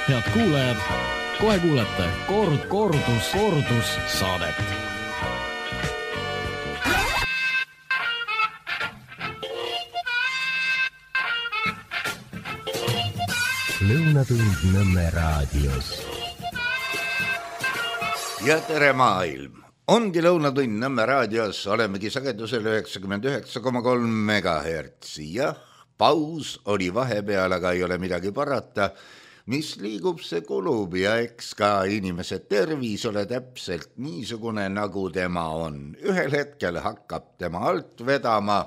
Head kuulajad, kohe kuulete kordus saadet. Lõunatund Nõmme raadios. Ja tere maailm! Ongi Lõunatund Nõmme raadios, olemegi sagedusel 99,3 MHz. Jah, paus oli vahepeal, aga ei ole midagi parata. Mis liigub, see kulub ja eks ka inimese tervis ole täpselt niisugune, nagu tema on. Ühel hetkel hakkab tema alt vedama.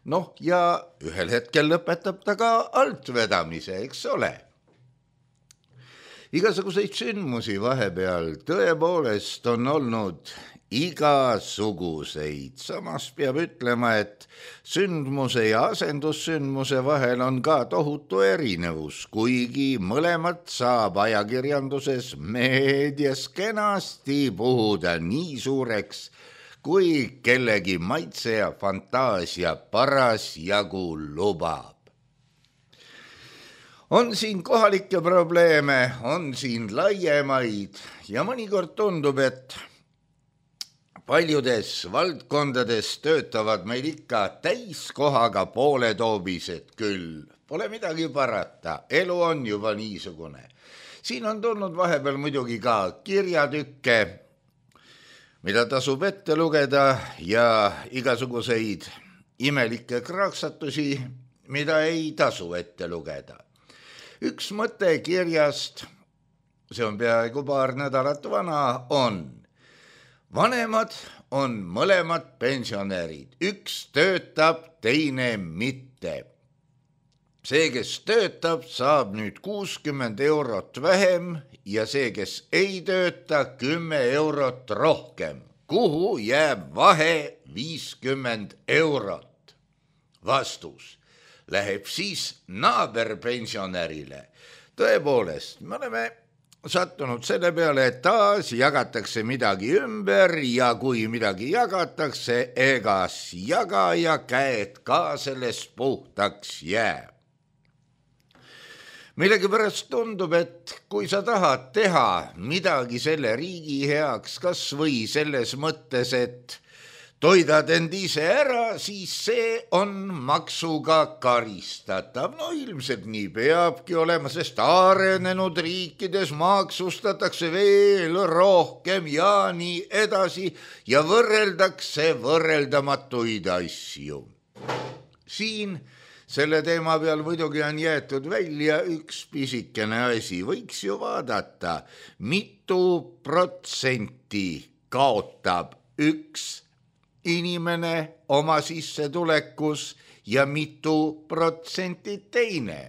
Noh, ja ühel hetkel lõpetab ta ka altvedamise, eks ole. Igasuguseid sündmusi vahepeal tõepoolest on olnud igasuguseid. Samas peab ütlema, et sündmuse ja asendussündmuse vahel on ka tohutu erinevus, kuigi mõlemat saab ajakirjanduses meedias kenasti puhuda nii suureks, kui kellegi maitse ja fantaasia parasjagu lubab. On siin kohalikke probleeme, on siin laiemaid ja mõnikord tundub, et paljudes valdkondades töötavad meil ikka täiskohaga pooletoobised küll. Pole midagi parata, elu on juba niisugune. Siin on tulnud vahepeal muidugi ka kirjatükke, mida tasub ette lugeda ja igasuguseid imelikke kraaksatusi, mida ei tasu ette lugeda. Üks mõte kirjast, see on peaaegu paar nädalat vana, on: vanemad on mõlemad pensionärid, üks töötab, teine mitte. See, kes töötab, saab nüüd 60 eurot vähem ja see, kes ei tööta, 10 eurot rohkem. Kuhu jääb vahe 50 eurot? Vastus läheb siis naaberpensionärile. Tõepoolest, me oleme sattunud selle peale, et taas jagatakse midagi ümber ja kui midagi jagatakse, egas jagaja käed ka sellest puhtaks jääb. Millegipärast tundub, et kui sa tahad teha midagi selle riigi heaks, kas või selles mõttes, et toidad end ise ära, siis see on maksuga karistatav. No ilmselt nii peabki olema, sest arenenud riikides maksustatakse veel rohkem ja nii edasi ja võrreldakse võrreldamatuid asju. Siin selle teema peal muidugi on jäetud välja üks pisikene asi. Võiks ju vaadata, mitu protsenti kaotab üks inimene oma sissetulekus ja mitu protsenti teine.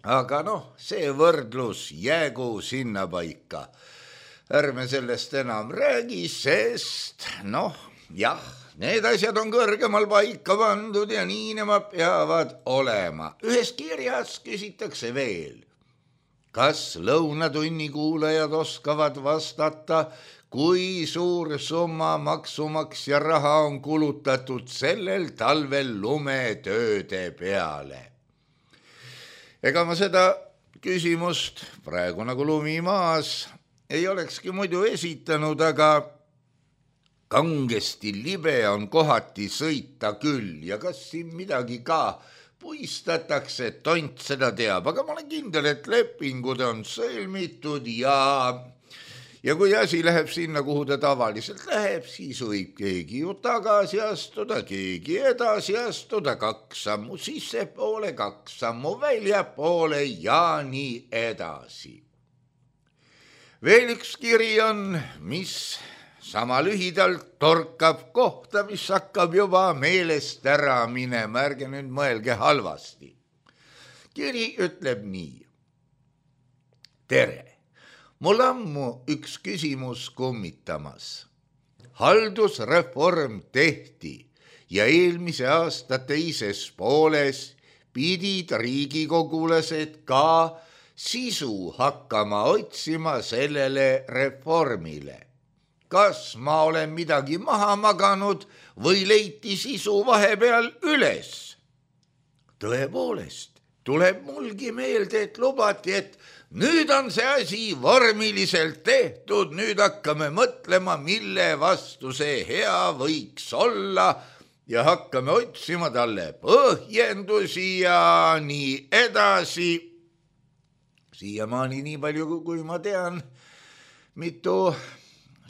Aga see võrdlus jäägu sinna paika. Ärme sellest enam räägi, sest jah, need asjad on kõrgemal paika pandud ja nii nemad peavad olema. Ühes kirjas küsitakse veel, kas Lõunatunni kuulajad oskavad vastata, kui suur summa maksumaksja raha on kulutatud sellel talvel lumetööde peale. Ega ma seda küsimust praegu nagu lumi maas ei olekski muidu esitanud, aga kangesti libe on kohati sõita küll ja kas siin midagi ka puistatakse, tont seda teab, aga ma olen kindel, et lepingud on sõlmitud ja kui asi läheb sinna, kuhu ta tavaliselt läheb, siis võib keegi ju tagasi astuda, keegi edasi astuda, 2 sammu sissepoole, 2 sammu väljapoole ja nii edasi. Veel üks kiri on, mis sama lühidalt torkab kohta, mis hakkab juba meelest ära minema, ärge nüüd mõelge halvasti. Kiri ütleb nii. Tere! Mul ammu üks küsimus kummitamas. Haldusreform tehti ja eelmise aasta teises pooles pidid riigikogulased ka sisu hakkama otsima sellele reformile. Kas ma olen midagi maha maganud või leiti sisu vahepeal üles? Tõepoolest, tuleb mulgi meelde, et lubati, et nüüd on see asi vormiliselt tehtud, nüüd hakkame mõtlema, mille vastu see hea võiks olla ja hakkame otsima talle põhjendusi ja nii edasi. Siiamaani nii palju, kui ma tean, mitu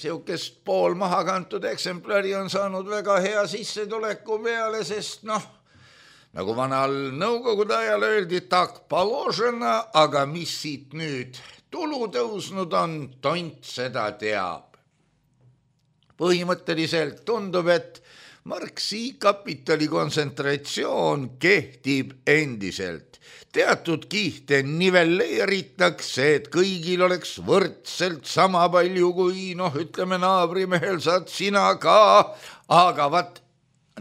siukest pool maha kantud eksemplari on saanud väga hea sissetuleku peale, sest nagu vanal nõukogude ajal öeldi, tak položena, aga mis siit nüüd tulu tõusnud on, tont seda teab. Põhimõtteliselt tundub, et Marxi kapitali kontsentratsioon kehtib endiselt. Teatud kihte nivelleeritakse, et kõigil oleks võrdselt sama palju kui, ütleme, naabrimehel saad sina ka, aga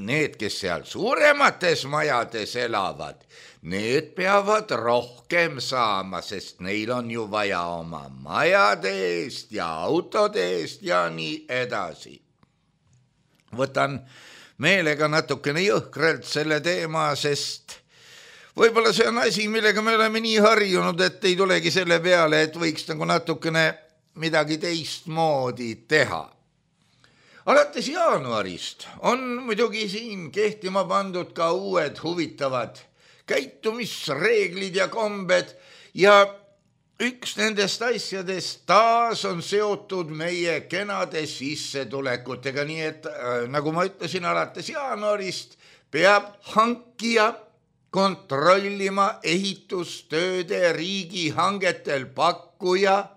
need, kes seal suuremates majades elavad, need peavad rohkem saama, sest neil on ju vaja oma majade eest ja autode eest ja nii edasi. Võtan meelega natukene jõhkralt selle teema, sest võib-olla see on asi, millega me oleme nii harjunud, et ei tulegi selle peale, et võiks nagu natukene midagi teistmoodi teha. Alates jaanuarist on muidugi siin kehtima pandud ka uued huvitavad käitumisreeglid ja kombed ja üks nendest asjadest taas on seotud meie kenade sissetulekutega, nii et nagu ma ütlesin, alates jaanuarist peab hankija kontrollima ehitustööde riigihangetel pakkuja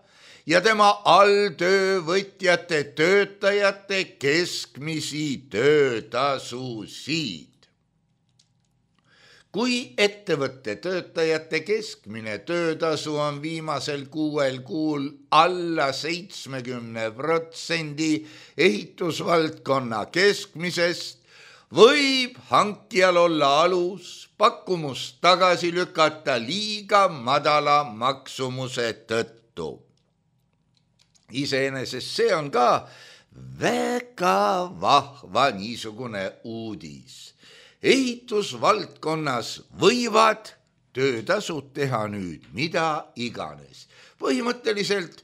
ja tema alltöövõtjate töötajate keskmisi töötasusid. Kui ettevõtte töötajate keskmine töötasu on viimasel 6 kuul alla 70% ehitusvaldkonna keskmisest, võib hankijal olla alus pakkumust tagasi lükata liiga madala maksumuse tõttu. Iseenesest see on ka väga vahva niisugune uudis. Ehitusvaldkonnas võivad töötasud teha nüüd mida iganes. Põhimõtteliselt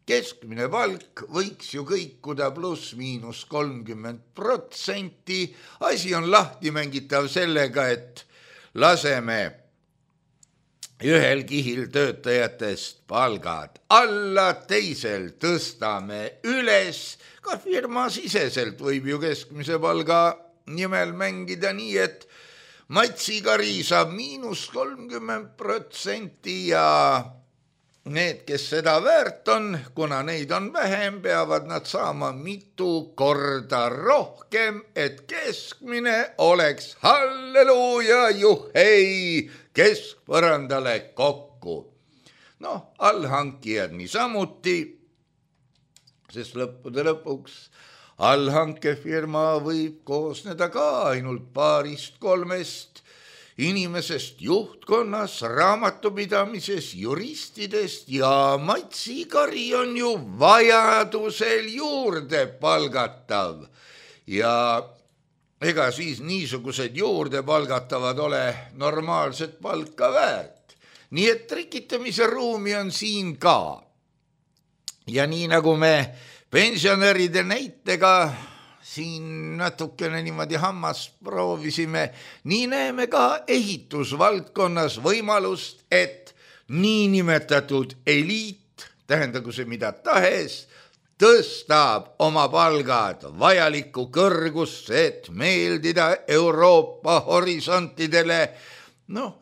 keskmine palk võiks ju kõikuda pluss-miinus 30%. Asi on lahti mängitav sellega, et laseme ühel kihil töötajatest palgad alla, teisel tõstame üles. Ka firma siseselt võib ju keskmise palga nimel mängida nii, et matsikari saab -30% ja need, kes seda väärt on, kuna neid on vähem, peavad nad saama mitu korda rohkem, et keskmine oleks halleluuja, juhei, keskpõrandale kokku. Allhankijad niisamuti, sest lõppude lõpuks allhankefirma võib koosneda ka ainult 2-3 inimesest juhtkonnas, raamatupidamises, juristidest ja matsikari on ju vajadusel juurde palgatav. Ja ega siis niisugused juurde palgatavad ole normaalset palka väärt. Nii et trikitamise ruumi on siin ka. Ja nii nagu me pensionäride näitega siin natukene niimoodi hammast proovisime, nii näeme ka ehitusvaldkonnas võimalust, et niinimetatud eliit, tähendagu see mida tahes, tõstab oma palgad vajalikku kõrgusse, et meeldida Euroopa horisontidele.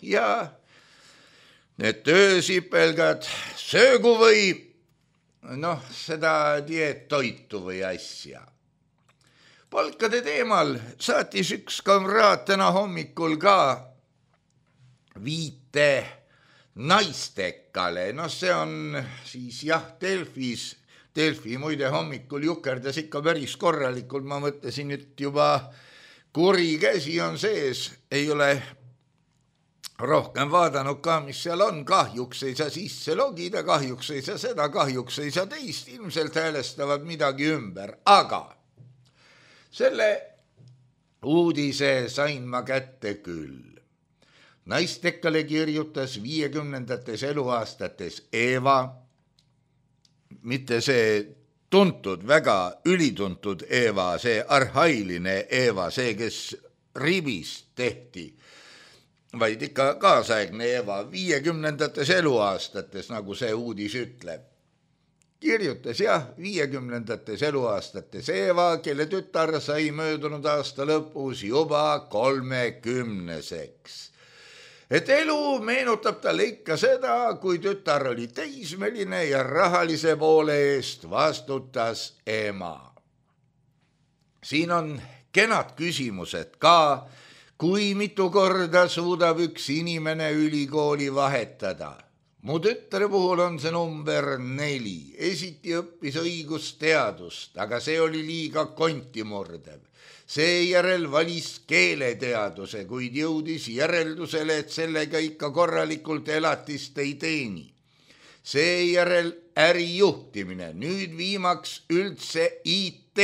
Ja need töösipelgad söögu või seda dieettoitu või asja. Palkade teemal saatis üks kamraad täna hommikul ka viite naistekale. See on siis Delfis. Delfi muide hommikul jukerdas ikka päris korralikult. Ma mõtlesin, et juba kuri käsi on sees. Ei ole rohkem vaadanud ka, mis seal on. Kahjuks ei saa sisse logida, kahjuks ei saa seda, kahjuks ei saa teist. Ilmselt häälestavad midagi ümber. Aga selle uudise sain ma kätte küll. Naistekkale kirjutas 50. eluaastates Eeva, mitte see tuntud, väga ülituntud Eeva, see arhailine Eeva, see, kes ribist tehti, vaid ikka kaasaegne Eeva 50. eluaastates, nagu see uudis ütleb. Kirjutas 50. eluaastates Eeva, kelle tütar sai möödunud aasta lõpus juba 30-seks. Et elu meenutab talle ikka seda, kui tütar oli teismeline ja rahalise poole eest vastutas ema. Siin on kenad küsimused ka, kui mitu korda suudab üks inimene ülikooli vahetada. Mu tütre puhul on see number 4. Esiti õppis õigusteadust, aga see oli liiga kontimurdev. Seejärel valis keeleteaduse, kuid jõudis järeldusele, et sellega ikka korralikult elatist ei teeni. Seejärel ärijuhtimine, nüüd viimaks üldse IT.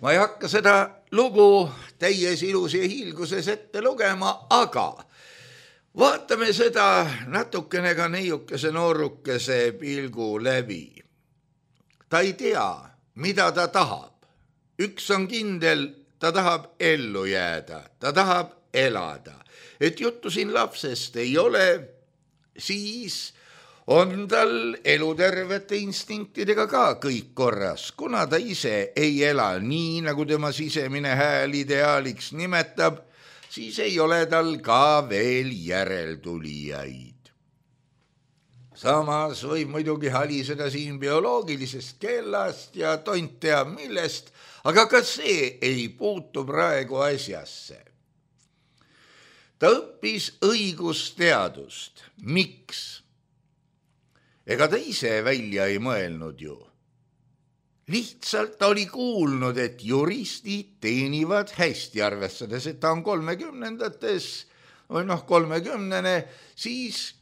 Ma ei hakka seda lugu täies ilus ja hiilguses ette lugema, aga vaatame seda natukene ka neiukese noorukese pilgu läbi. Ta ei tea, mida ta tahab. Üks on kindel, ta tahab ellu jääda, ta tahab elada. Et juttu siin lapsest ei ole, siis on tal elutervete instinktidega ka kõik korras, kuna ta ise ei ela nii, nagu tema sisemine hääl ideaaliks nimetab, siis ei ole tal ka veel järeltulijaid. Samas võib muidugi haliseda siin bioloogilisest kellast ja tont tea millest, aga ka see ei puutu praegu asjasse. Ta õppis õigusteadust. Miks? Ega ta ise välja ei mõelnud ju. Lihtsalt ta oli kuulnud, et juristid teenivad hästi, arvestades, et ta on 30-ndates või 30-ne, siis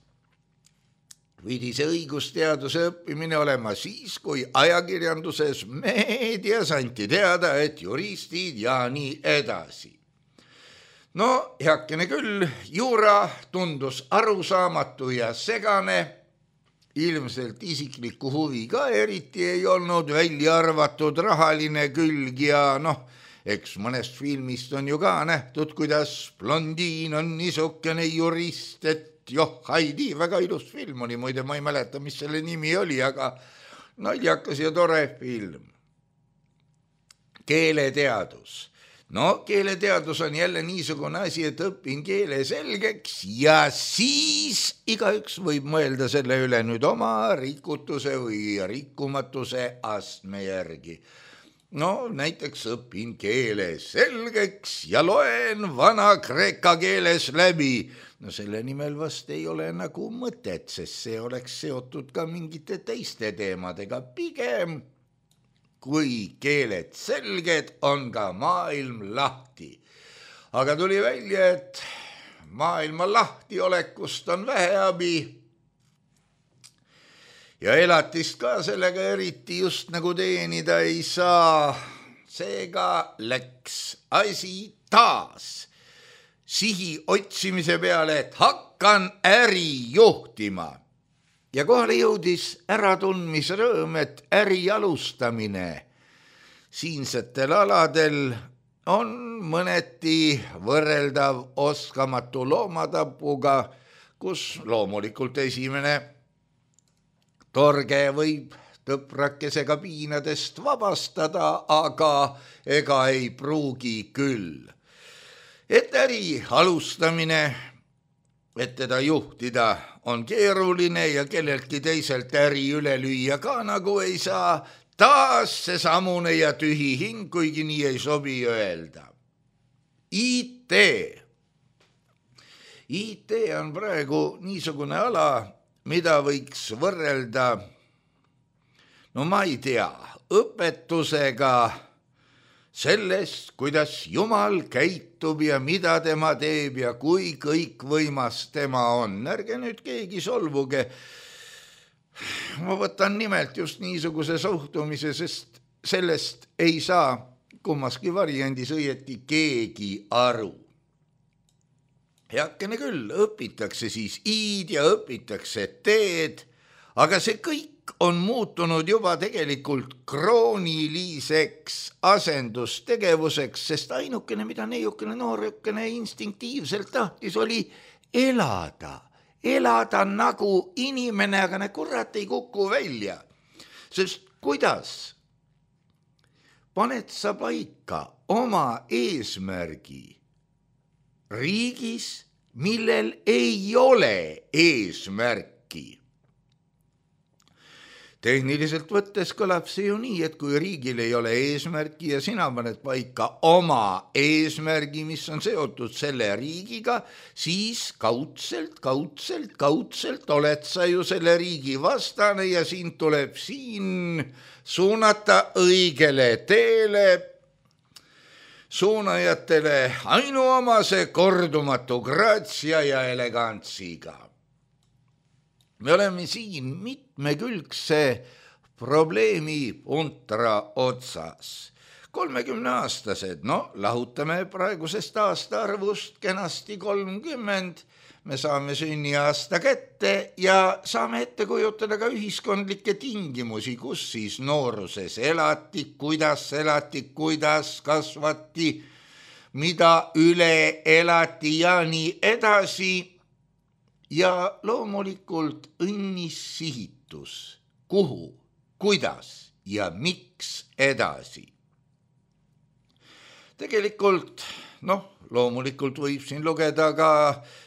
pidi see õigusteaduse õppimine olema siis, kui ajakirjanduses meedias anti teada, et juristid ja nii edasi. No, heakene küll, juura tundus arusaamatu ja segane, ilmselt isiklikku huvi ka eriti ei olnud, välja arvatud rahaline külg ja eks mõnest filmist on ju ka nähtud, kuidas blondiin on niisugune jurist, et Haidi, väga ilus film oli, muide ma ei mäleta, mis selle nimi oli, aga naljakas ja tore film. Keeleteadus. Keeleteadus on jälle niisugune asi, et õpin keele selgeks ja siis igaüks võib mõelda selle üle nüüd oma rikutuse või rikkumatuse astme järgi. Näiteks õpin keele selgeks ja loen vana-kreeka keeles läbi. Selle nimel vast ei ole nagu mõtet, sest see oleks seotud ka mingite teiste teemadega. Pigem, kui keeled selged, on ka maailm lahti. Aga tuli välja, et maailma lahtiolekust on vähe abi. Ja elatist ka sellega eriti just nagu teenida ei saa. Seega läks asi taas sihi otsimise peale, et hakkan äri juhtima. Ja kohale jõudis äratundmisrõõm, et äri alustamine siinsetel aladel on mõneti võrreldav oskamatu loomatapuga, kus loomulikult esimene torge võib tõprakesega piinadest vabastada, aga ega ei pruugi küll. Et äri alustamine, et teda juhtida on keeruline ja kelleltki teiselt äri üle lüüa ka nagu ei saa, taas see samune ja tühi hing, kuigi nii ei sobi öelda. IT. IT on praegu niisugune ala, mida võiks võrrelda, ma ei tea, õpetusega sellest, kuidas Jumal käitub ja mida tema teeb ja kui kõikvõimas tema on. Ärge nüüd keegi solvuge. Ma võtan nimelt just niisuguse suhtumise, sest sellest ei saa kummaski variandis õieti keegi aru. heakene küll, õpitakse siis i-d ja õpitakse t-d, aga see kõik on muutunud juba tegelikult krooniliseks asendustegevuseks, sest ainukene, mida neiukene noorukene instinktiivselt tahtis, oli elada nagu inimene, aga kurat ei kuku välja. Sest kuidas paned sa paika oma eesmärgi riigis, millel ei ole eesmärki? Tehniliselt võttes kõlab see ju nii, et kui riigil ei ole eesmärki ja sina paned paika oma eesmärgi, mis on seotud selle riigiga, siis kaudselt oled sa ju selle riigi vastane ja sind tuleb siin suunata õigele teele, suunajatele ainuomase kordumatu graatsia ja elegantsiga. Me oleme siin mitmekülgse probleemi puntra otsas. 30-aastased, lahutame praegusest aastaarvust kenasti 30, me saame sünniaasta kätte ja saame ette kujutada ka ühiskondlikke tingimusi, kus siis nooruses elati, kuidas kasvati, mida üle elati ja nii edasi. Ja loomulikult õnnis sihitus, kuhu, kuidas ja miks edasi. Tegelikult, loomulikult võib siin lugeda ka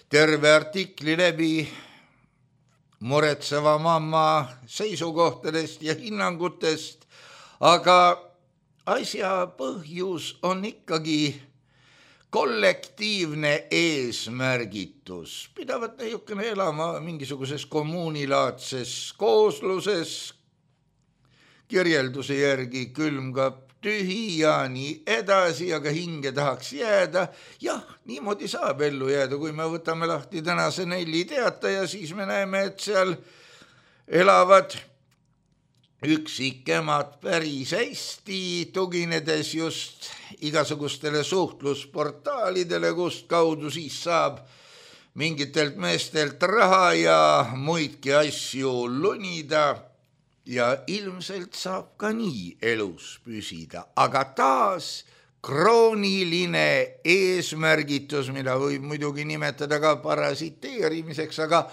terve artikli läbi muretseva mamma seisukohtadest ja hinnangutest, aga asja põhjus on ikkagi kollektiivne eesmärgitus, pidavat niisugune elama mingisuguses kommuunilaadses koosluses, kirjelduse järgi külmkapp tühi ja nii edasi, aga hinge tahaks jääda. Jah, niimoodi saab ellu jääda, kui me võtame lahti tänase Nelli Teataja, siis me näeme, et seal elavad üksikemad päris hästi, tuginedes just igasugustele suhtlusportaalidele, kust kaudu siis saab mingitelt meestelt raha ja muidki asju lunida ja ilmselt saab ka nii elus püsida, aga taas krooniline eesmärgitus, mida võib muidugi nimetada ka parasiteerimiseks, aga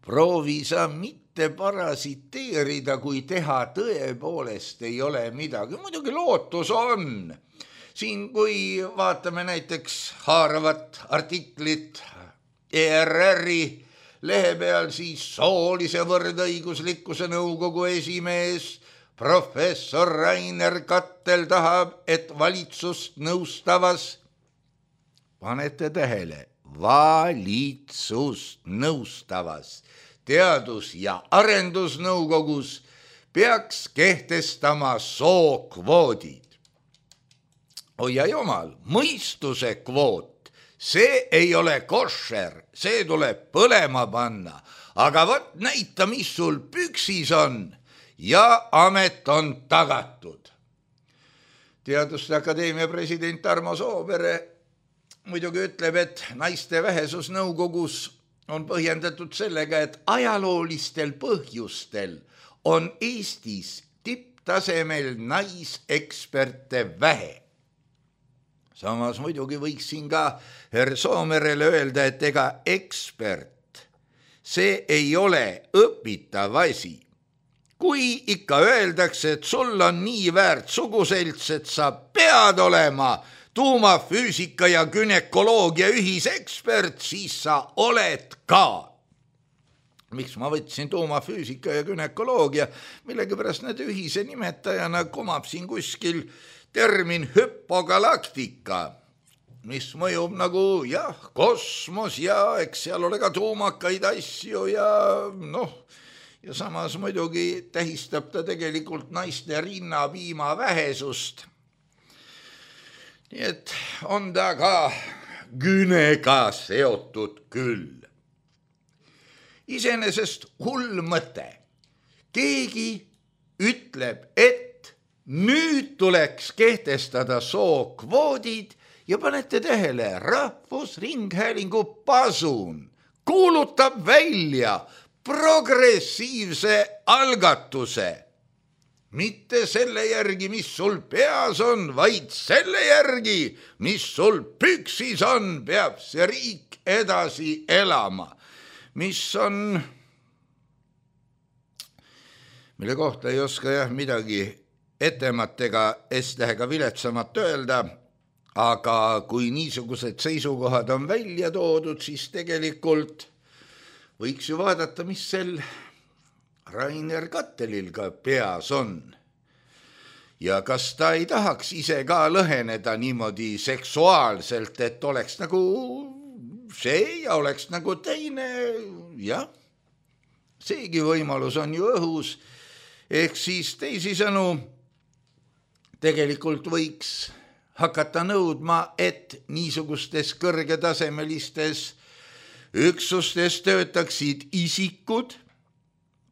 proovi sa mitte parasiteerida, kui teha tõepoolest ei ole midagi. Muidugi lootus on. Siin, kui vaatame näiteks haaravat artiklit ERR-i lehe peal, siis soolise võrdõiguslikkuse nõukogu esimees professor Rainer Kattel tahab, et valitsust nõustavas, panete tähele, valitsust nõustavas teadus- ja arendusnõukogus peaks kehtestama sookvoodid. Oi ja jumal, mõistuse kvoot, see ei ole košer, see tuleb põlema panna, aga võt näita, mis sul püksis on ja amet on tagatud. Teaduste Akadeemia president Tarmo Soopere muidugi ütleb, et naiste vähesus nõukogus on põhjendatud sellega, et ajaloolistel põhjustel on Eestis tipptasemel naiseksperte vähe. Samas muidugi võiks siin ka herr Soomerele öelda, et ega ekspert, see ei ole õpitav asi. Kui ikka öeldakse, et sul on nii väärt suguselts, et sa pead olema tuumafüüsika ja günekoloogia ühisekspert, siis sa oled ka. Miks ma võtsin tuumafüüsika ja günekoloogia? Millegipärast need ühise nimetajana kumab siin kuskil termin hüpogalaktika, mis mõjub nagu kosmos ja eks seal ole ka tuumakaid asju ja ja samas muidugi tähistab ta tegelikult naiste rinnapiima vähesust. Nii et on ta ka günega seotud küll. Iseenesest hull mõte. Keegi ütleb, et nüüd tuleks kehtestada sookvoodid ja panete tähele, Rahvusringhäälingu Pasun kuulutab välja progressiivse algatuse. Mitte selle järgi, mis sul peas on, vaid selle järgi, mis sul püksis on, peab see riik edasi elama. Mis on, mille kohta ei oska midagi etemat ega S-tähega viletsamat öelda, aga kui niisugused seisukohad on välja toodud, siis tegelikult võiks ju vaadata, mis sel Rainer Kattelil ka peas on. Ja kas ta ei tahaks ise ka lõheneda niimoodi seksuaalselt, et oleks nagu see ja oleks nagu teine, jah, seegi võimalus on ju õhus, ehk siis teisisõnu tegelikult võiks hakata nõudma, et niisugustes kõrgetasemelistes üksustes töötaksid isikud,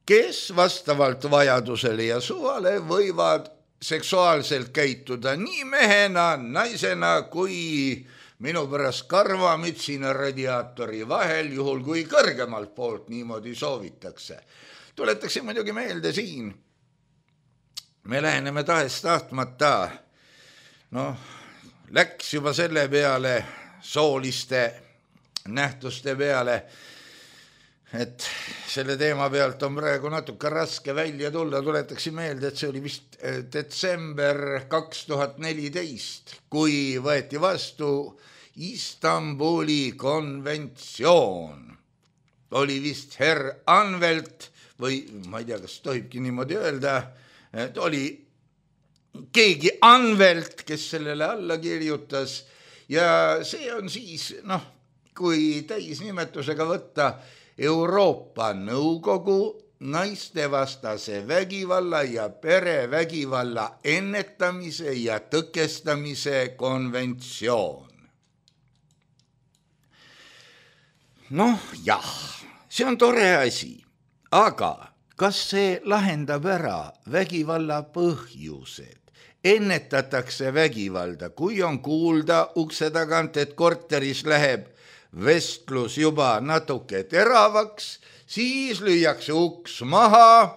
kes vastavalt vajadusele ja suvale võivad seksuaalselt käituda nii mehena, naisena kui minu pärast karvamütsina radiaatori vahel, juhul kui kõrgemalt poolt niimoodi soovitakse. Tuletakse muidugi meelde siin. Me läheneme tahes-tahtmata. Läks juba selle peale, sooliste nähtuste peale, et selle teema pealt on praegu natuke raske välja tulla. Tuletakse meelde, et see oli vist detsember 2014, kui võeti vastu Istanbuli konventsioon. Oli vist herr Anvelt, või ma ei tea, kas tohibki niimoodi öelda, et oli keegi Anvelt, kes sellele alla kirjutas, ja see on siis, kui täisnimetusega võtta, Euroopa Nõukogu naistevastase vägivalla ja perevägivalla ennetamise ja tõkestamise konventsioon. Jah, see on tore asi, aga kas see lahendab ära vägivalla põhjused? Ennetatakse vägivalda, kui on kuulda ukse tagant, et korteris läheb vestlus juba natuke teravaks, siis lüüakse uks maha.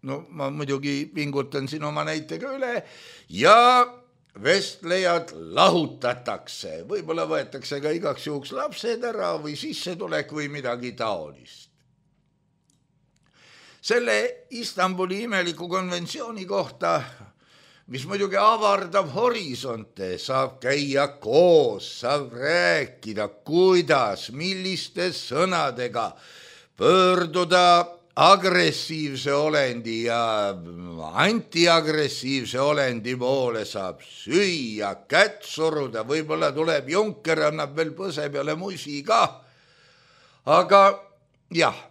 Ma muidugi pingutan siin oma näitega üle ja vestlejad lahutatakse. Võib-olla võetakse ka igaks juhuks lapsed ära või sissetulek või midagi taolist. Selle Istanbuli imeliku konventsiooni kohta, mis muidugi avardab horisonte, saab käia koos, saab rääkida, kuidas, milliste sõnadega pöörduda agressiivse olendi ja antiagressiivse olendi poole, saab süüa, kätt suruda, võib-olla tuleb Junker, annab veel põse peale musi ka. Aga jah,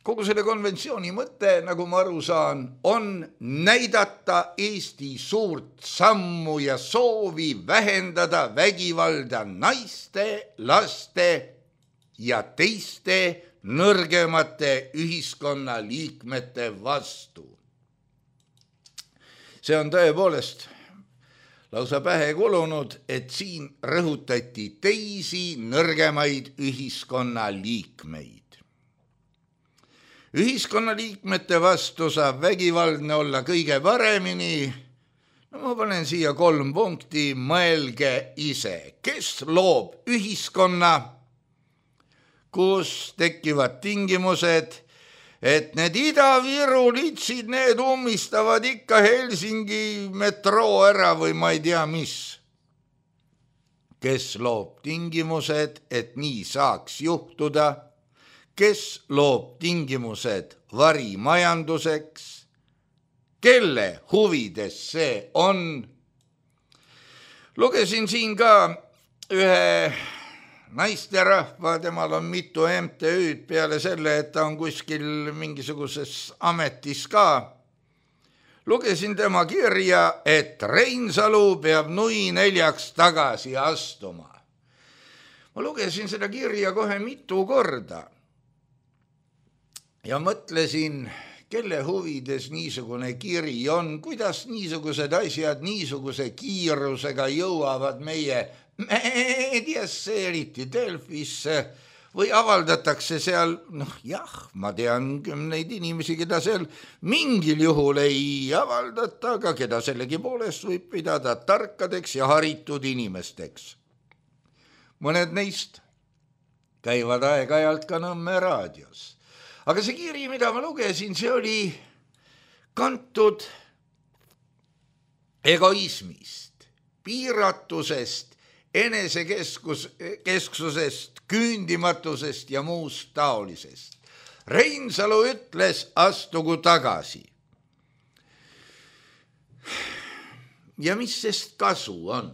kogu selle konventsiooni mõte, nagu ma aru saan, on näidata Eesti suurt sammu ja soovi vähendada vägivalda naiste, laste ja teiste nõrgemate ühiskonnaliikmete vastu. See on tõepoolest lausa pähe kulunud, et siin rõhutati teisi nõrgemaid ühiskonnaliikmeid. Ühiskonnaliikmete vastu saab vägivaldne olla kõige paremini. Ma panen siia 3 punkti, mõelge ise. Kes loob ühiskonna, kus tekivad tingimused, et need Ida-Viru litsid, need ummistavad ikka Helsingi metroo ära või ma ei tea mis. Kes loob tingimused, et nii saaks juhtuda? Kes loob tingimused varimajanduseks? Kelle huvides see on? Lugesin siin ka ühe naisterahva, temal on mitu MTÜ-d peale selle, et ta on kuskil mingisuguses ametis ka. Lugesin tema kirja, et Reinsalu peab nui 4 tagasi astuma. Ma lugesin seda kirja kohe mitu korda. Ja mõtlesin, kelle huvides niisugune kiri on, kuidas niisugused asjad niisuguse kiirusega jõuavad meie meediasse, eriti Delfisse, või avaldatakse seal, jah, ma tean kümneid inimesi, keda seal mingil juhul ei avaldata, aga keda sellegipoolest võib pidada tarkadeks ja haritud inimesteks. Mõned neist käivad aeg-ajalt ka Nõmme raadios. Aga see kiri, mida ma lugesin, see oli kantud egoismist, piiratusest, enesekesksusest, küündimatusest ja muust taolisest. Reinsalu ütles, astugu tagasi. Ja mis sest kasu on?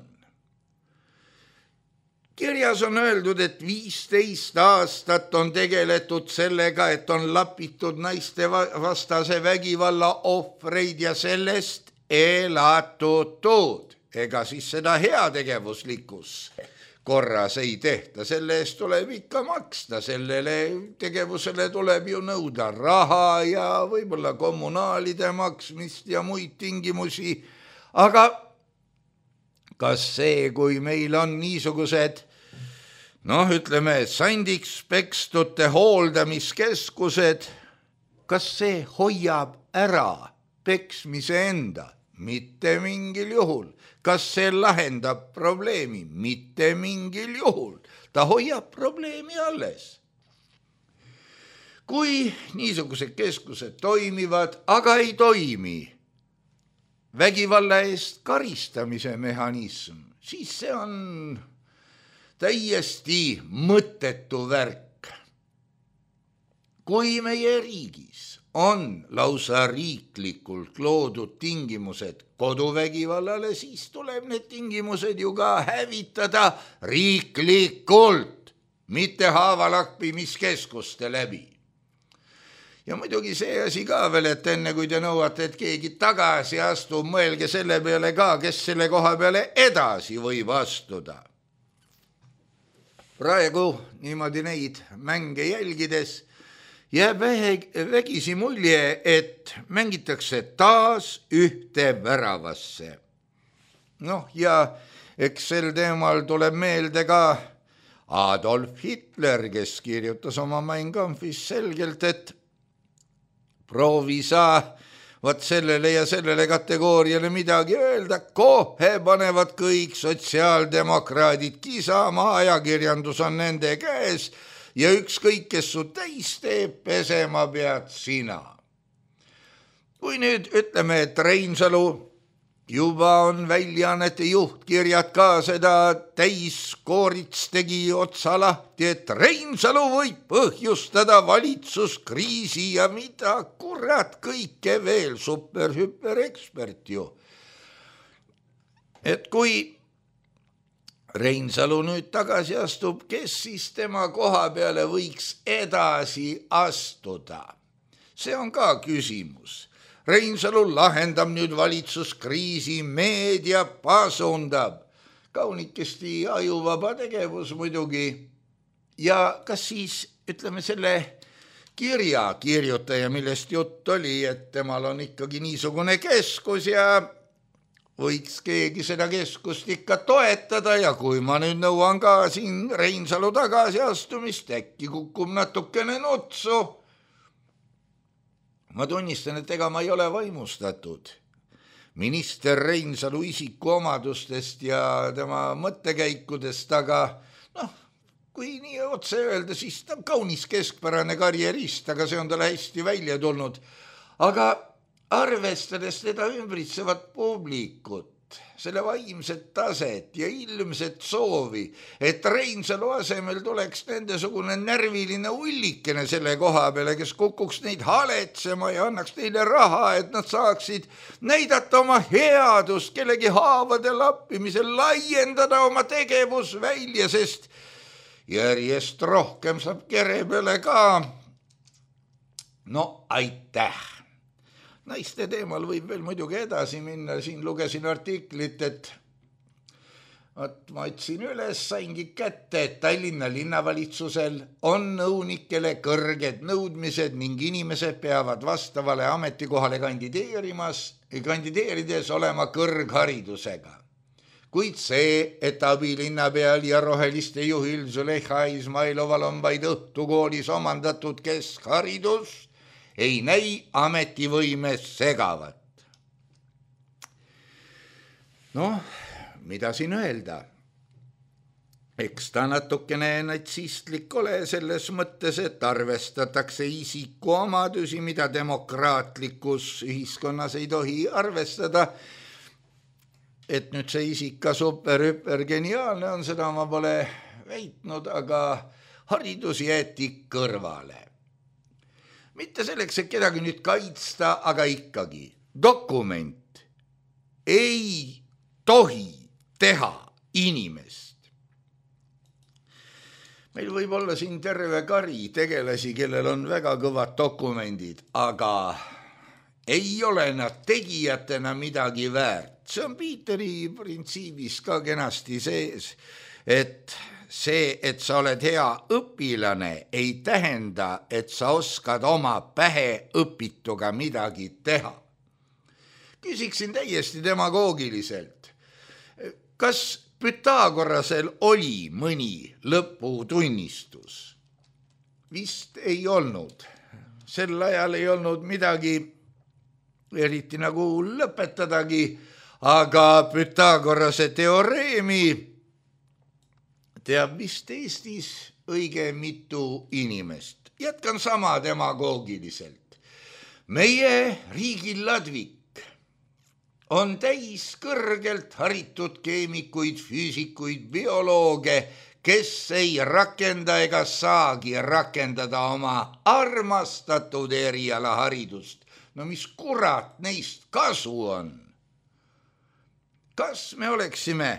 Kirjas on öeldud, et 15 aastat on tegeletud sellega, et on lapitud naiste vastase vägivalla ohvreid ja sellest elatutud. Ega siis seda heategevuslikus korras ei tehta, selle eest tuleb ikka maksta, sellele tegevusele tuleb ju nõuda raha ja võib-olla kommunaalide maksmist ja muid tingimusi. Aga kas see, kui meil on niisugused, ütleme, sandiks pekstute hooldamiskeskused, kas see hoiab ära peksmise enda? Mitte mingil juhul. Kas see lahendab probleemi? Mitte mingil juhul. Ta hoiab probleemi alles. Kui niisugused keskused toimivad, aga ei toimi vägivalla eest karistamise mehhanism, siis see on täiesti mõttetu värk. Kui meie riigis on lausa riiklikult loodud tingimused koduvägivallale, siis tuleb need tingimused ju ka hävitada riiklikult, mitte haavalakpimiskeskuste läbi. Ja muidugi see asi ka veel, et enne kui te nõuate, et keegi tagasi astub, mõelge selle peale ka, kes selle koha peale edasi võib astuda. Praegu niimoodi neid mänge jälgides jääb vägisi mulje, et mängitakse taas ühte väravasse. Ja eks sel teemal tuleb meelde ka Adolf Hitler, kes kirjutas oma Mein Kampfis selgelt, et proovi sa vaat sellele ja sellele kategooriale midagi öelda, kohe panevad kõik sotsiaaldemokraadid kisama, ajakirjandus on nende käes, ja ükskõik, kes su täis teeb, pesema pead sina. Kui nüüd ütleme, et Reinsalu juba on väljaannete juhtkirjad ka seda täiskoorits tegi otsa lahti, et Reinsalu võib põhjustada valitsuskriisi ja mida kurat kõike veel, super ekspert ju. Et kui Reinsalu nüüd tagasi astub, kes siis tema koha peale võiks edasi astuda? See on ka küsimus. Reinsalu lahendab nüüd valitsuskriisi, meedia pasundab. Kaunikesti ajuvaba tegevus muidugi. Ja kas siis, ütleme, selle kirja kirjutaja, millest jutt oli, et temal on ikkagi niisugune keskus ja võiks keegi seda keskust ikka toetada ja kui ma nüüd nõuan ka siin Reinsalu tagasi astumist, äkki kukub natukene nutsu. Ma tunnistan, et ega ma ei ole vaimustatud minister Reinsalu isikuomadustest ja tema mõttekäikudest, aga kui nii otse öelda, siis ta on kaunis keskpärane karjerist, aga see on talle hästi välja tulnud. Aga arvestades teda ümbritsevat publikut, selle vaimset taset ja ilmset soovi, et Reinsalu asemel tuleks nendesugune närviline ullikene selle koha peale, kes kukuks neid haletsema ja annaks neile raha, et nad saaksid näidata oma headust kellegi haavade lappimisel, laiendada oma tegevus välja, sest järjest rohkem saab kere peale ka. Aitäh! Naiste teemal võib veel muidugi edasi minna, siin lugesin artiklit, et ma otsin üles, saingi kätte, et Tallinna linnavalitsusel on nõunikele kõrged nõudmised ning inimesed peavad vastavale ametikohale kandideerides olema kõrgharidusega. Kuid see, et abilinnapeal ja roheliste juhil Züleyxa Izmailoval on vaid õhtukoolis omandatud keskharidus, ei näi ametivõimes segavat. Noh, mida siin öelda? Eks ta natukene natsistlik ole selles mõttes, et arvestatakse isiku omadusi, mida demokraatlikus ühiskonnas ei tohi arvestada. Et nüüd see isik ka super geniaalne on, seda ma pole väitnud, aga haridus jäeti kõrvale. Mitte selleks, et kedagi nüüd kaitsta, aga ikkagi dokument ei tohi teha inimest. Meil võib olla siin terve kari tegelasi, kellel on väga kõvad dokumendid, aga ei ole nad tegijatena midagi väärt. See on Piiteri printsiibis ka kenasti sees, et see, et sa oled hea õpilane, ei tähenda, et sa oskad oma pähe õpituga midagi teha. Küsiksin täiesti demagoogiliselt. Kas Pythagorasel oli mõni lõputunnistus? Vist ei olnud. Sel ajal ei olnud midagi eriti nagu lõpetadagi, aga Pythagorase teoreemi teab vist Eestis õige mitu inimest. Jätkan sama demagoogiliselt. Meie riigil Ladvik on täis kõrgelt haritud keemikuid, füüsikuid, biolooge, kes ei rakenda ega saagi rakendada oma armastatud erialaharidust. No mis kurat neist kasu on? Kas me oleksime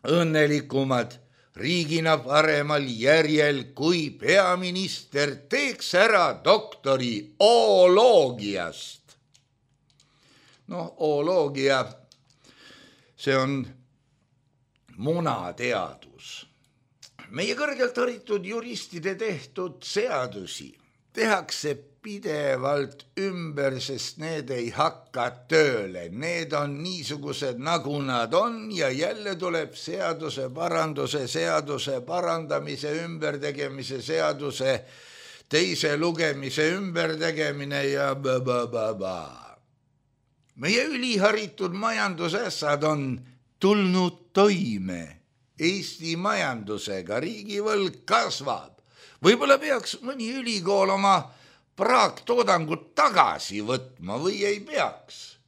õnnelikumad riigina paremal järjel, kui peaminister teeks ära doktori ooloogiast? Ooloogia, see on munateadus. Meie kõrgelt haritud juristide tehtud seadusi tehakse pidevalt ümber, sest need ei hakka tööle. Need on niisugused, nagu nad on ja jälle tuleb seaduse parandamise, ümbertegemise seaduse, teise lugemise ümbertegemine ja Meie üliharitud majandusässad on tulnud toime Eesti majandusega, riigivõlg kasvab. Võib-olla peaks mõni ülikool oma praaktoodangut tagasi võtma või ei peaks.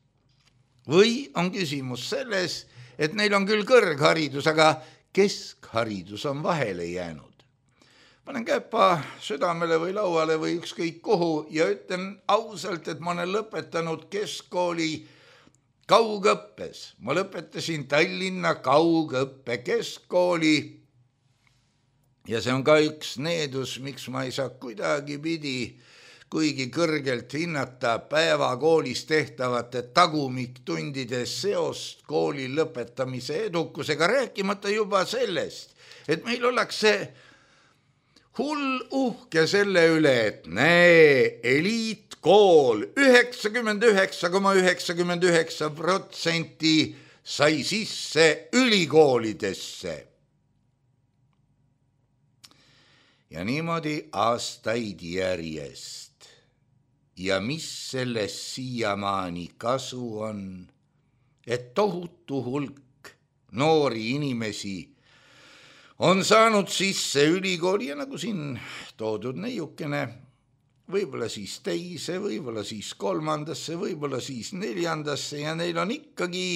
Või on küsimus selles, et neil on küll kõrgharidus, aga keskharidus on vahele jäänud. Panen käpa südamele või lauale või ükskõik kuhu ja ütlen ausalt, et ma olen lõpetanud keskkooli kaugõppes. Ma lõpetasin Tallinna kaugõppe keskkooli ja see on ka üks needus, miks ma ei saa kuidagi pidi, kuigi kõrgelt hinnata päevakoolis tehtavate tagumiktundide seost kooli lõpetamise edukusega, rääkimata juba sellest, et meil ollakse hull uhke selle üle, et näe, eliitkool 99,99% sai sisse ülikoolidesse. Ja niimoodi aastaid järjest. Ja mis sellest siiamaani kasu on, et tohutu hulk noori inimesi on saanud sisse ülikooli ja nagu siin toodud neiukene, võib-olla siis teise, võib-olla siis kolmandasse, võib-olla siis neljandasse ja neil on ikkagi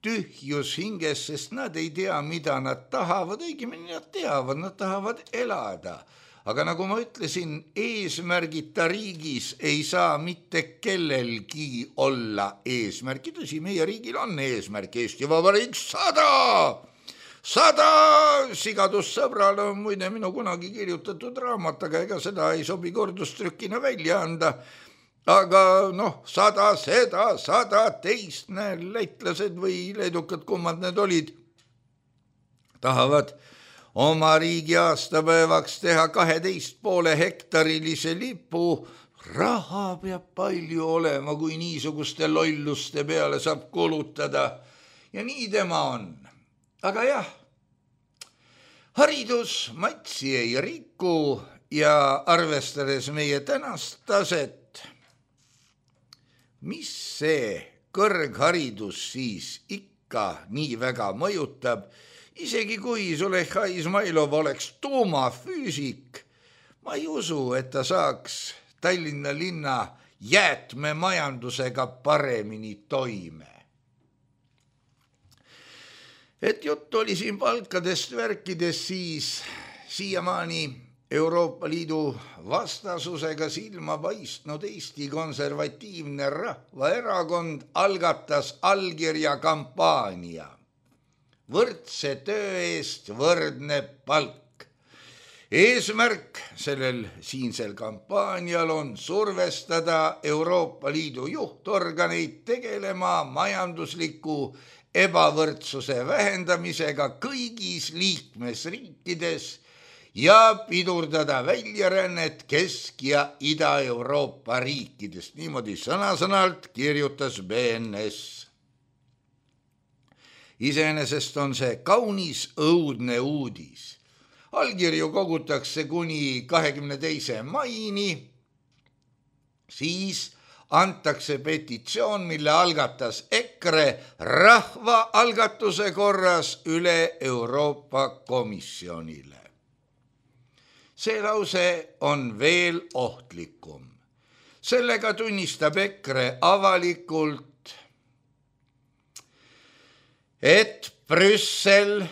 tühjus hinges, sest nad ei tea, mida nad tahavad, õigemini nad teavad, nad tahavad elada. Aga nagu ma ütlesin, eesmärgita riigis ei saa mitte kellelgi olla eesmärki. Tõsi, meie riigil on eesmärk Eesti Vabariik 100! 100 sigadussõbral on muide minu kunagi kirjutatud raamat, aga ega seda ei sobi kordustrükina välja anda. aga 100 seda, 100 teist, lätlased või leedukad, kummad need olid, tahavad oma riigi aastapäevaks teha 12,5 hektarilise lipu. Raha peab palju olema, kui niisuguste lolluste peale saab kulutada. Ja nii tema on. Aga jah, haridus matsi ei riku ja arvestades meie tänast taset, mis see kõrgharidus siis ikka nii väga mõjutab, isegi kui Züleyxa Izmailov oleks tuumafüüsik, ma ei usu, et ta saaks Tallinna linna jäätmemajandusega paremini toime. Et jutt oli siin palkadest värkides, siis siiamaani Euroopa Liidu vastasusega silma paistnud Eesti Konservatiivne Rahvaerakond algatas allkirja kampaania. Võrdse töö eest võrdne palk. Eesmärk siinsel kampaanial on survestada Euroopa Liidu juhtorganeid tegelema majandusliku ebavõrdsuse vähendamisega kõigis liikmesriikides ja pidurdada väljarännet Kesk- ja Ida-Euroopa riikidest. Niimoodi sõna-sõnalt kirjutas BNS. Iseenesest on see kaunis õudne uudis. Allkirju kogutakse kuni 22. maini, siis antakse petitsioon, mille algatas EKRE rahvaalgatuse korras üle Euroopa Komisjonile. See lause on veel ohtlikum. Sellega tunnistab EKRE avalikult, et Brüssel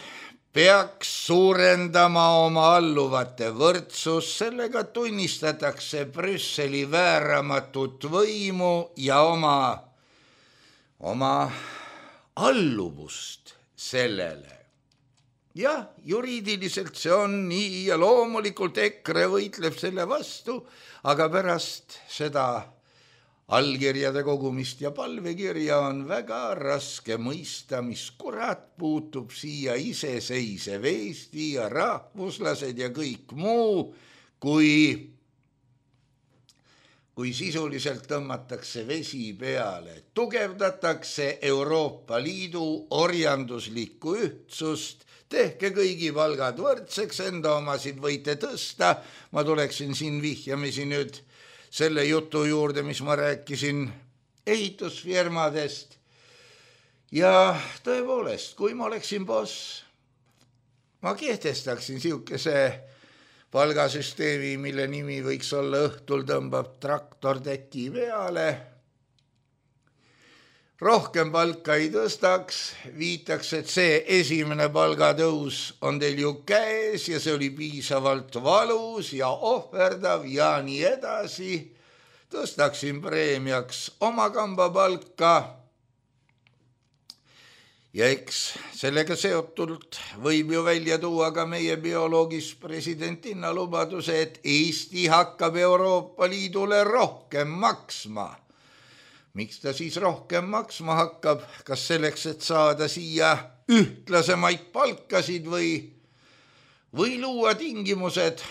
peaks suurendama oma alluvate võrdsust, sellega tunnistatakse Brüsseli vääramatut võimu ja oma alluvust sellele. Jah, juriidiliselt see on nii ja loomulikult EKRE võitleb selle vastu, aga pärast seda allkirjade kogumist ja palvekirja on väga raske mõista, mis kurat puutub siia iseseisev Eesti ja rahvuslased ja kõik muu, kui sisuliselt tõmmatakse vesi peale, tugevdatakse Euroopa Liidu orjanduslikku ühtsust, tehke kõigi palgad võrdseks, enda omasid võite tõsta. Ma tuleksin siin vihjamisi nüüd selle jutu juurde, mis ma rääkisin ehitusfirmadest. Ja tõepoolest, kui ma oleksin boss, ma kehtestaksin siukese palgasüsteemi, mille nimi võiks olla õhtul tõmbab traktor teki peale. Rohkem palka ei tõstaks, viitaks, et see esimene palgatõus on teil ju käes ja see oli piisavalt valus ja ohverdav ja nii edasi. Tõstaksin preemiaks oma kamba palka ja eks sellega seotult võib ju välja tuua ka meie bioloogist presidentinna lubaduse, et Eesti hakkab Euroopa Liidule rohkem maksma. Miks ta siis rohkem maksma hakkab? Kas selleks, et saada siia ühtlasemaid palkasid või luua tingimused?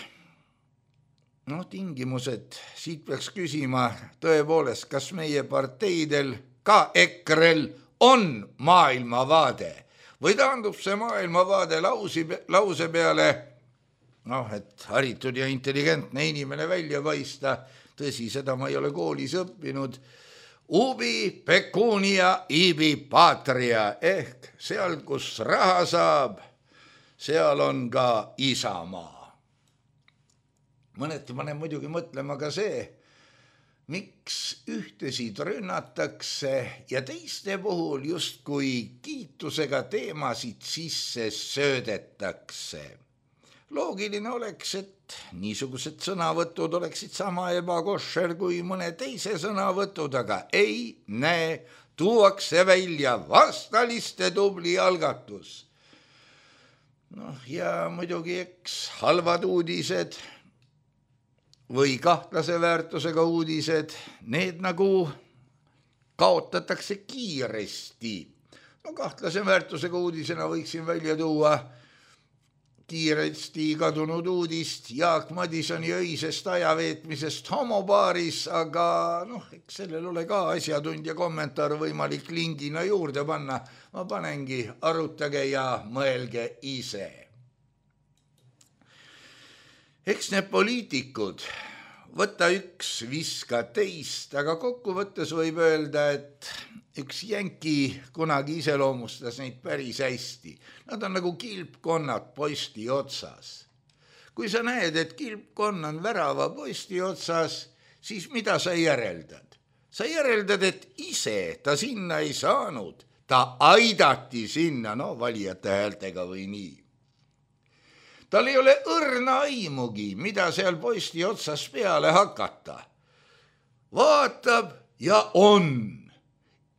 Tingimused, siit peaks küsima tõepoolest, kas meie parteidel, ka EKRE-l on maailmavaade või taandub see maailmavaade lause peale, et haritud ja intelligentne inimene välja paista, tõsi, seda ma ei ole koolis õppinud, ubi pecunia ibi patria ehk seal, kus raha saab, seal on ka isamaa. Mõneti panen muidugi mõtlema ka see, miks ühtesid rünnatakse ja teiste puhul justkui kiitusega teemasid sisse söödetakse. Loogiline oleks, et niisugused sõnavõtud oleksid sama ebakoššer kui mõne teise sõnavõtud, aga ei näe, tuuakse välja vastaliste tubli algatus. Ja muidugi eks halvad uudised või kahtlase väärtusega uudised, need nagu kaotatakse kiiresti. No kahtlase väärtusega uudisena võiksin välja tuua kiiresti kadunud uudist Jaak Madisoni öisest ajaveetmisest homopaaris, aga eks sellel ole ka asjatundja kommentaar võimalik lingina juurde panna. Ma panengi, arutage ja mõelge ise. Eks need poliitikud, võta üks, viska teist, aga kokkuvõttes võib öelda, et üks jänki kunagi iseloomustas neid päris hästi. Nad on nagu kilpkonnad posti otsas. Kui sa näed, et kilpkonn on värava posti otsas, siis mida sa järeldad? Sa järeldad, et ise ta sinna ei saanud. Ta aidati sinna, valijate häältega või nii. Tal ei ole õrna aimugi, mida seal posti otsas peale hakata. Vaatab ja on.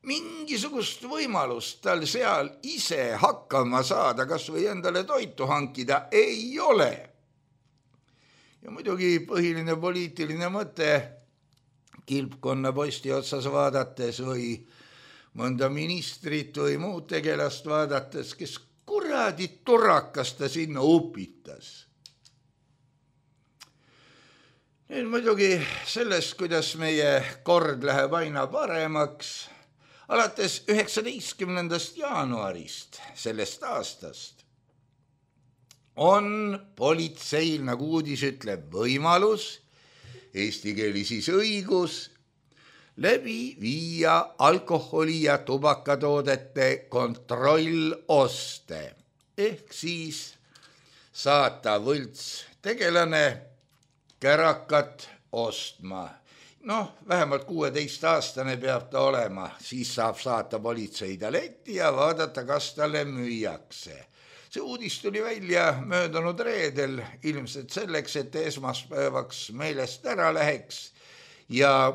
Mingisugust võimalust tal seal ise hakkama saada, kas või endale toitu hankida, ei ole. Ja muidugi põhiline poliitiline mõte kilpkonna posti otsas vaadates või mõnda ministrit või muud tegelast vaadates, kes kuradi turrakas ta sinna upitas. Nüüd muidugi sellest, kuidas meie kord läheb aina paremaks, alates 19. jaanuarist sellest aastast on politseil, nagu uudis ütleb, võimalus, eesti keeli siis õigus, läbi viia alkoholi ja tubakatoodete kontrolloste. Ehk siis saata võlts tegelane kärakat ostma. Vähemalt 16-aastane peab ta olema, siis saab saata politsei ta letti ja vaadata, kas talle müüakse. See uudis tuli välja möödunud reedel, ilmselt selleks, et esmaspäevaks meelest ära läheks ja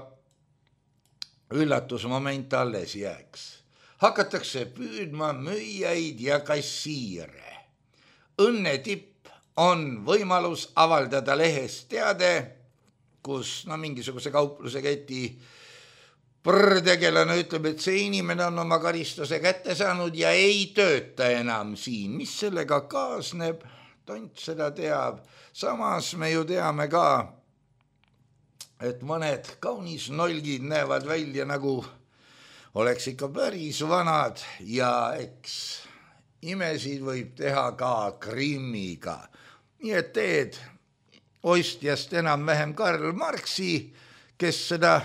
üllatusmoment alles jääks. Hakatakse püüdma müüjaid ja kassiire. Õnnetipp on võimalus avaldada lehes teade, kus mingisuguse kaupluse keti tegelane ütleb, et see inimene on oma karistuse kätte saanud ja ei tööta enam siin. Mis sellega kaasneb? Tont seda teab. Samas me ju teame ka, et mõned kaunis nolgid näevad välja nagu oleks ikka päris vanad ja eks imesid võib teha ka Krimmiga. Nii et teed ostjast enam-vähem Karl Marxi, kes seda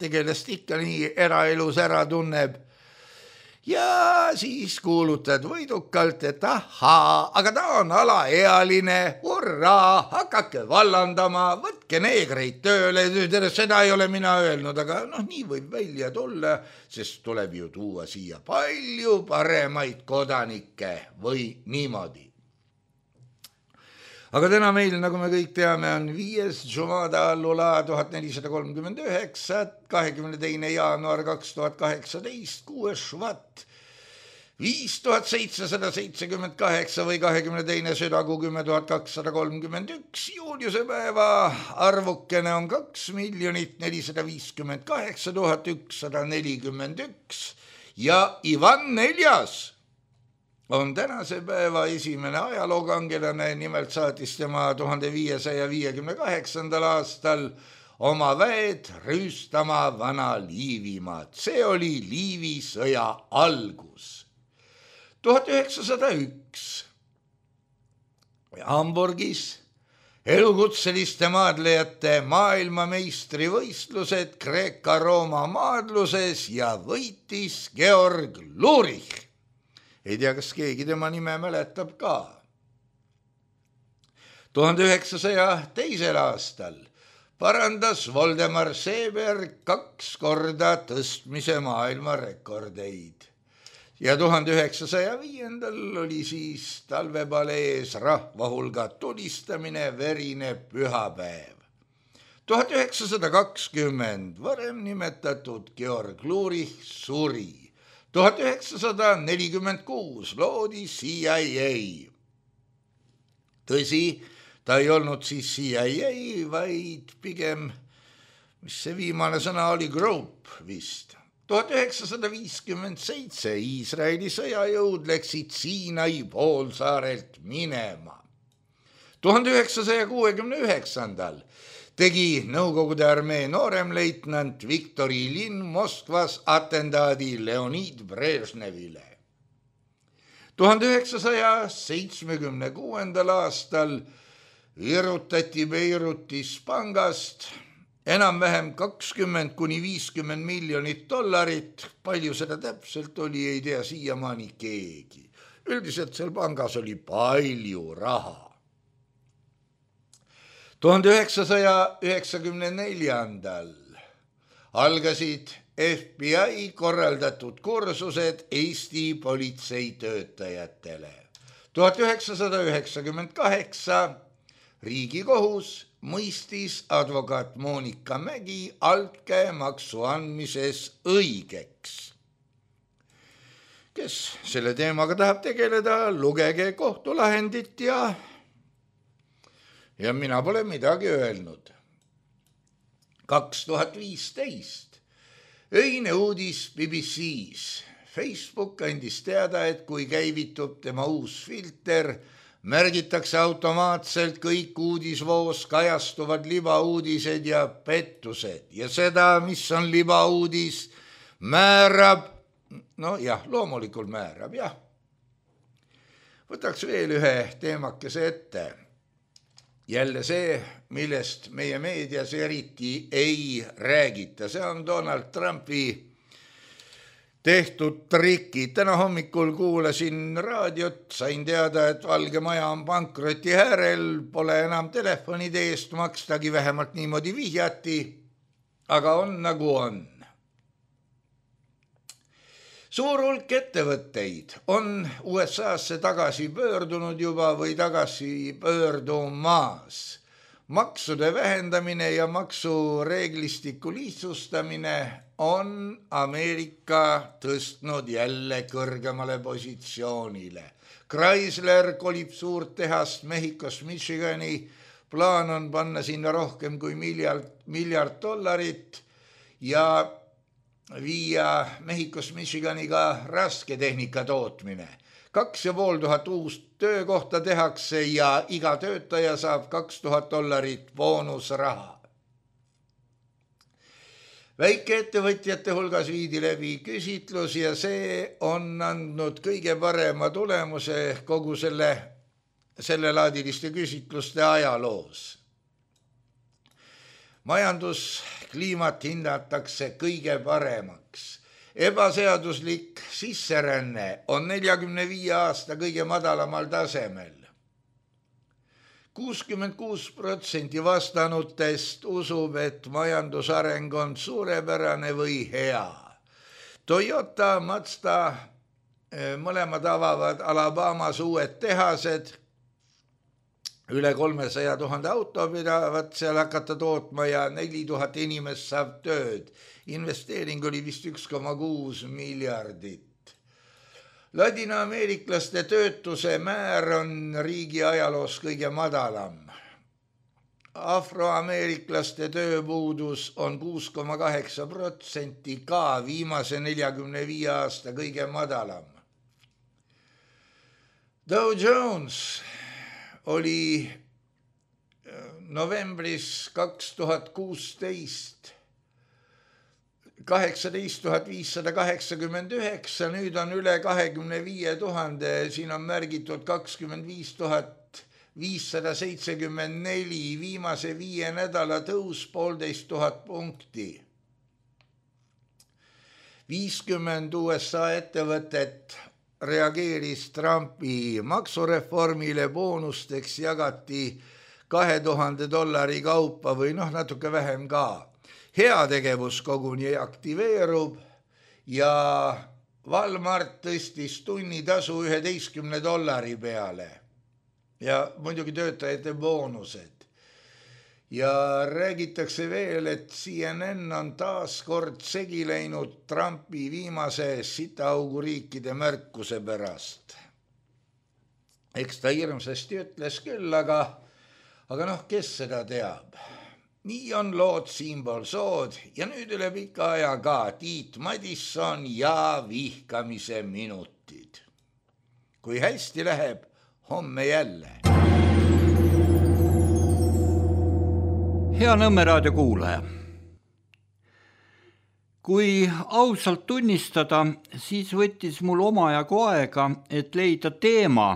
tegelast ikka nii eraelus ära tunneb. Ja siis kuulutad võidukalt, et ahaa, aga ta on alaealine, hurraa, hakake vallandama, võtke neegreid tööle, seda ei ole mina öelnud, aga nii võib välja tulla, sest tuleb ju tuua siia palju paremaid kodanikke või niimoodi. Aga täna meil, nagu me kõik teame, on 5. Jumada Allula 1439, 22. jaanuar 2018, 6. Švat 5778 või 22. südakuu 10231. Juuliuse päeva arvukene on 2 458 141 ja Ivan 4. on tänase päeva esimene ajalookangelane, nimelt saatis tema 1558. aastal oma väed rüüstama vana Liivimaad. See oli Liivi sõja algus. 1901 Hamburgis elukutseliste maadlejate maailmameistrivõistlused Kreeka-Rooma maadluses ja võitis Georg Lurich. Ei tea, kas keegi tema nime mäletab ka. 1902. aastal parandas Voldemar Seeberg 2 korda tõstmise maailmarekordeid. Ja 1905. oli siis talvepalees rahvahulga tulistamine, verine pühapäev. 1920 varem nimetatud Georg Lurich suri. 1946 loodi CIA. Tõsi, ta ei olnud siis CIA, vaid pigem, mis see viimane sõna oli, Group vist. 1957 Iisraeli sõjajõud läksid Siinai poolsaarelt minema. 1969 tegi Nõukogude armee nooremleitnant Viktor Ilin Moskvas atentaadi Leonid Brežnevile. 1976. aastal virutati Beirutis pangast enam-vähem 20–50 miljonit $, palju seda täpselt oli, ei tea siiamaani keegi. Üldiselt seal pangas oli palju raha. 1994. algasid FBI korraldatud kursused Eesti politseitöötajatele. 1998 Riigikohus mõistis advokaat Monika Mägi altkäemaksu andmises õigeks. Kes selle teemaga tahab tegeleda, lugege kohtulahendit ja mina pole midagi öelnud. 2015 öine uudis BBC-s. Facebook andis teada, et kui käivitub tema uus filter, märgitakse automaatselt kõik uudisvoos kajastuvad libauudised ja pettused ja seda, mis on libauudis, määrab, loomulikult määrab, jah. Võtaks veel ühe teemakese ette. Jälle see, millest meie meedias eriti ei räägita, see on Donald Trumpi tehtud trikid. Täna hommikul kuulasin raadiot, sain teada, et Valge Maja on pankroti äärel, pole enam telefonide eest makstagi, vähemalt niimoodi vihjati, aga on nagu on. Suur hulk ettevõtteid on USA-sse tagasi pöördunud juba või tagasi pöördumas. Maksude vähendamine ja maksureeglistiku lihtsustamine on Ameerika tõstnud jälle kõrgemale positsioonile. Chrysler kolib suurt tehast Mehhikost Michigani, plaan on panna sinna rohkem kui miljard $, ja viia Mehhikost Michigani ka rasketehnika tootmine. 2500 uust töökohta tehakse ja iga töötaja saab $2000 boonusraha. Väikeettevõtjate hulgas viidi läbi küsitlus ja see on andnud kõige parema tulemuse kogu sellelaadiliste küsitluste ajaloos. Majanduskliimat hinnatakse kõige paremaks. Ebaseaduslik sisseränne on 45 aasta kõige madalamal tasemel. 66% vastanutest usub, et majandusareng on suurepärane või hea. Toyota, Mazda, mõlemad avavad Alabamas uued tehased, üle 300 000 auto pidavad seal hakata tootma ja 4000 inimest saab tööd. Investeering oli vist 1,6 miljardit. Ladina-ameeriklaste töötuse määr on riigi ajaloos kõige madalam. Afroameeriklaste tööpuudus on 6,8%, ka viimase 45 aasta kõige madalam. Dow Jones oli novembris 2016 18 589, nüüd on üle 25 000, siin on märgitud 25 574, viimase 5 nädala tõus 1,5 punkti. 50 USA ettevõtet reageeris Trumpi maksureformile, boonusteks jagati $2000 kaupa või natuke vähem ka. Heategevus koguni aktiveerub ja Walmart tõstis tunnitasu $11 peale ja muidugi töötajate boonused. Ja räägitakse veel, et CNN on taas kord segi läinud Trumpi viimase sitaauguriikide märkuse pärast. Eks ta hirmsasti ütles küll, Aga kes seda teab? Nii on lood siinpool sood ja nüüd üle pika aja ka Tiit Madisson ja vihkamise minutid. Kui hästi läheb, homme jälle. Hea Nõmme raadio kuulaja. Kui ausalt tunnistada, siis võttis mul omajagu aega, et leida teema,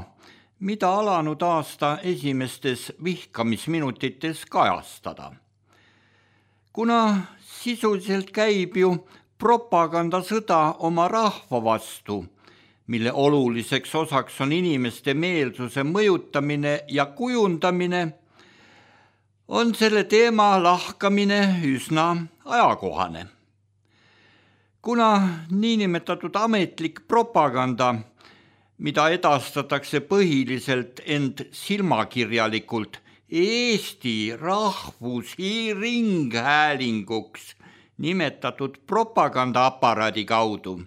mida alanud aasta esimestes vihkamisminutites kajastada. Kuna sisuliselt käib ju propagandasõda oma rahva vastu, mille oluliseks osaks on inimeste meelsuse mõjutamine ja kujundamine, on selle teema lahkamine üsna ajakohane. Kuna niinimetatud ametlik propaganda, mida edastatakse põhiliselt end silmakirjalikult Eesti rahvusringhäälinguks nimetatud propagandaaparaadi kaudu,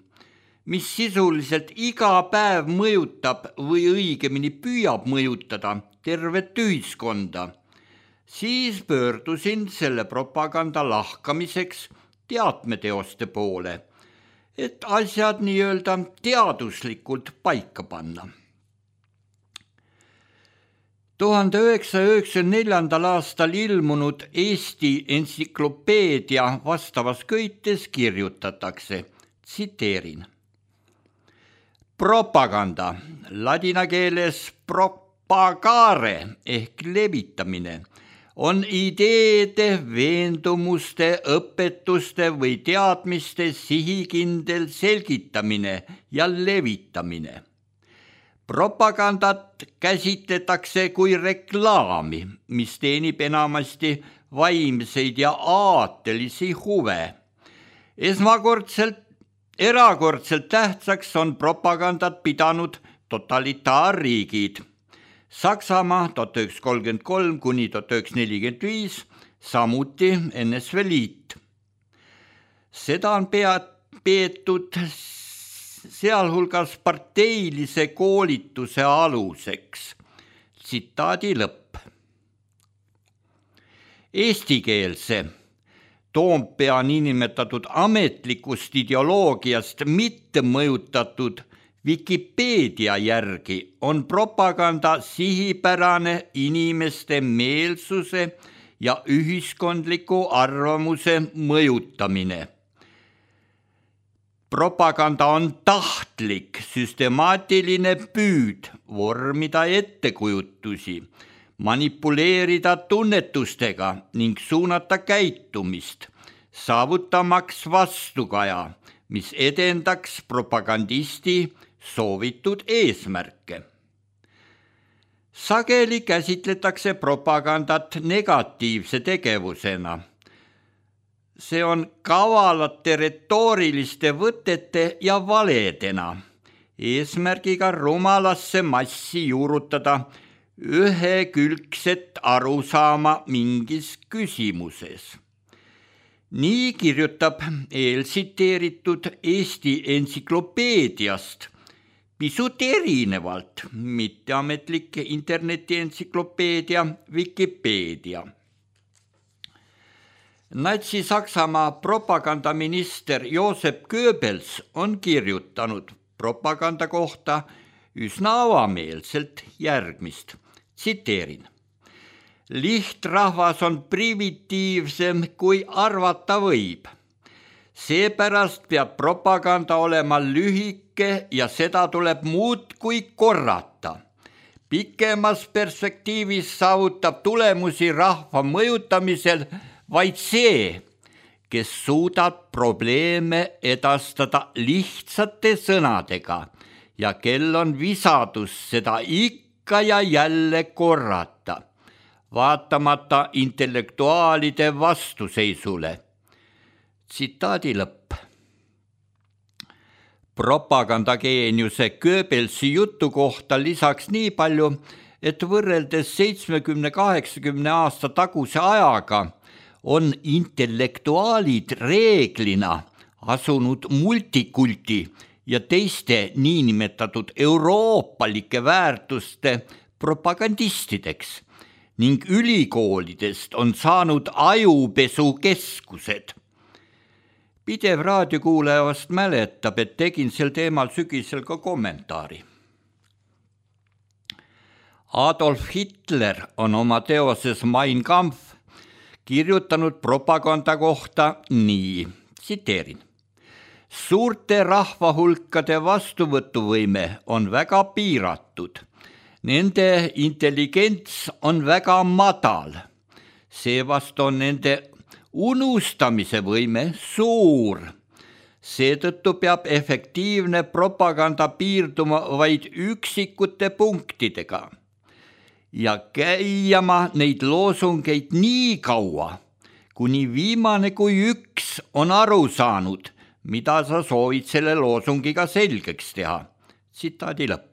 mis sisuliselt iga päev mõjutab või õigemini püüab mõjutada tervet ühiskonda, siis pöördusin selle propaganda lahkamiseks teatmeteoste poole, et asjad nii-öelda teaduslikult paika panna. 1994. aastal ilmunud Eesti entsüklopeedia vastavas köites kirjutatakse, tsiteerin. Propaganda, ladina keeles propagare ehk levitamine, on ideede, veendumuste, õpetuste või teadmiste sihikindel selgitamine ja levitamine. Propagandat käsitletakse kui reklaami, mis teenib enamasti vaimseid ja aatelisi huve. Erakordselt tähtsaks on propagandat pidanud totalitaarriigid. Saksamaa 1933 kuni 1945, samuti NSV Liit. Seda on peetud sealhulgas parteilise koolituse aluseks. Tsitaadi lõpp. Eestikeelse Toompea niinimetatud ametlikust ideoloogiast mitte mõjutatud Wikipeedia järgi on propaganda sihipärane inimeste meelsuse ja ühiskondliku arvamuse mõjutamine. Propaganda on tahtlik, süstemaatiline püüd vormida ettekujutusi, manipuleerida tunnetustega ning suunata käitumist, saavutamaks vastukaja, mis edendaks propagandisti soovitud eesmärke. Sageli käsitletakse propagandat negatiivse tegevusena. See on kavalate retooriliste võtete ja valedena, eesmärgiga rumalasse massi juurutada ühekülgset arusaama mingis küsimuses. Nii kirjutab eeltsiteeritud Eesti entsüklopeediast pisut erinevalt mitteametlik internetientsüklopeedia Wikipedia. Natsi-Saksamaa propagandaminister Joseph Goebbels on kirjutanud propaganda kohta üsna avameelselt järgmist. Tsiteerin. Lihtrahvas on primitiivsem kui arvata võib. Seepärast peab propaganda olema lühike ja seda tuleb muudkui korrata. Pikemas perspektiivis saavutab tulemusi rahva mõjutamisel vaid see, kes suudab probleeme edastada lihtsate sõnadega ja kel on visadus seda ikka ja jälle korrata, vaatamata intellektuaalide vastuseisule. Tsitaadi lõpp. Propagandageeniuse Goebbelsi jutu kohta lisaks nii palju, et võrreldes 70-80 aasta taguse ajaga on intellektuaalid reeglina asunud multikulti ja teiste niinimetatud euroopalike väärtuste propagandistideks ning ülikoolidest on saanud ajupesukeskused. Pidev raadiokuulaja vast mäletab, et tegin sel teemal sügisel ka kommentaari. Adolf Hitler on oma teoses Mein Kampf kirjutanud propaganda kohta nii, tsiteerin. Suurte rahvahulkade vastuvõtuvõime on väga piiratud. Nende intelligents on väga madal. Seevastu on nende unustamise võime suur. Seetõttu peab efektiivne propaganda piirduma vaid üksikute punktidega ja käima neid loosungeid nii kaua, kuni viimane kui üks on aru saanud, mida sa soovid selle loosungiga selgeks teha. Tsitaadi lõpp.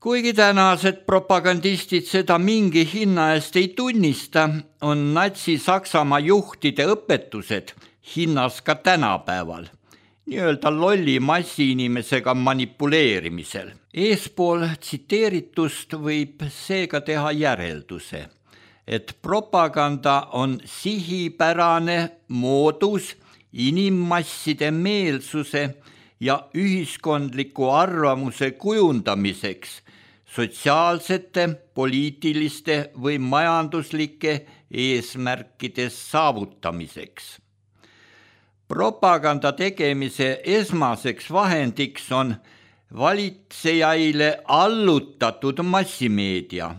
Kuigi tänased propagandistid seda mingi hinna eest ei tunnista, on Natsi-Saksamaa juhtide õpetused hinnas ka tänapäeval, nii-öelda lolli massiinimesega manipuleerimisel. Eespool tsiteeritust võib seega teha järelduse, et propaganda on sihipärane moodus inimmasside meelsuse ja ühiskondliku arvamuse kujundamiseks, sotsiaalsete, poliitiliste või majanduslike eesmärkide saavutamiseks. Propaganda tegemise esmaseks vahendiks on valitsejaile allutatud massimeedia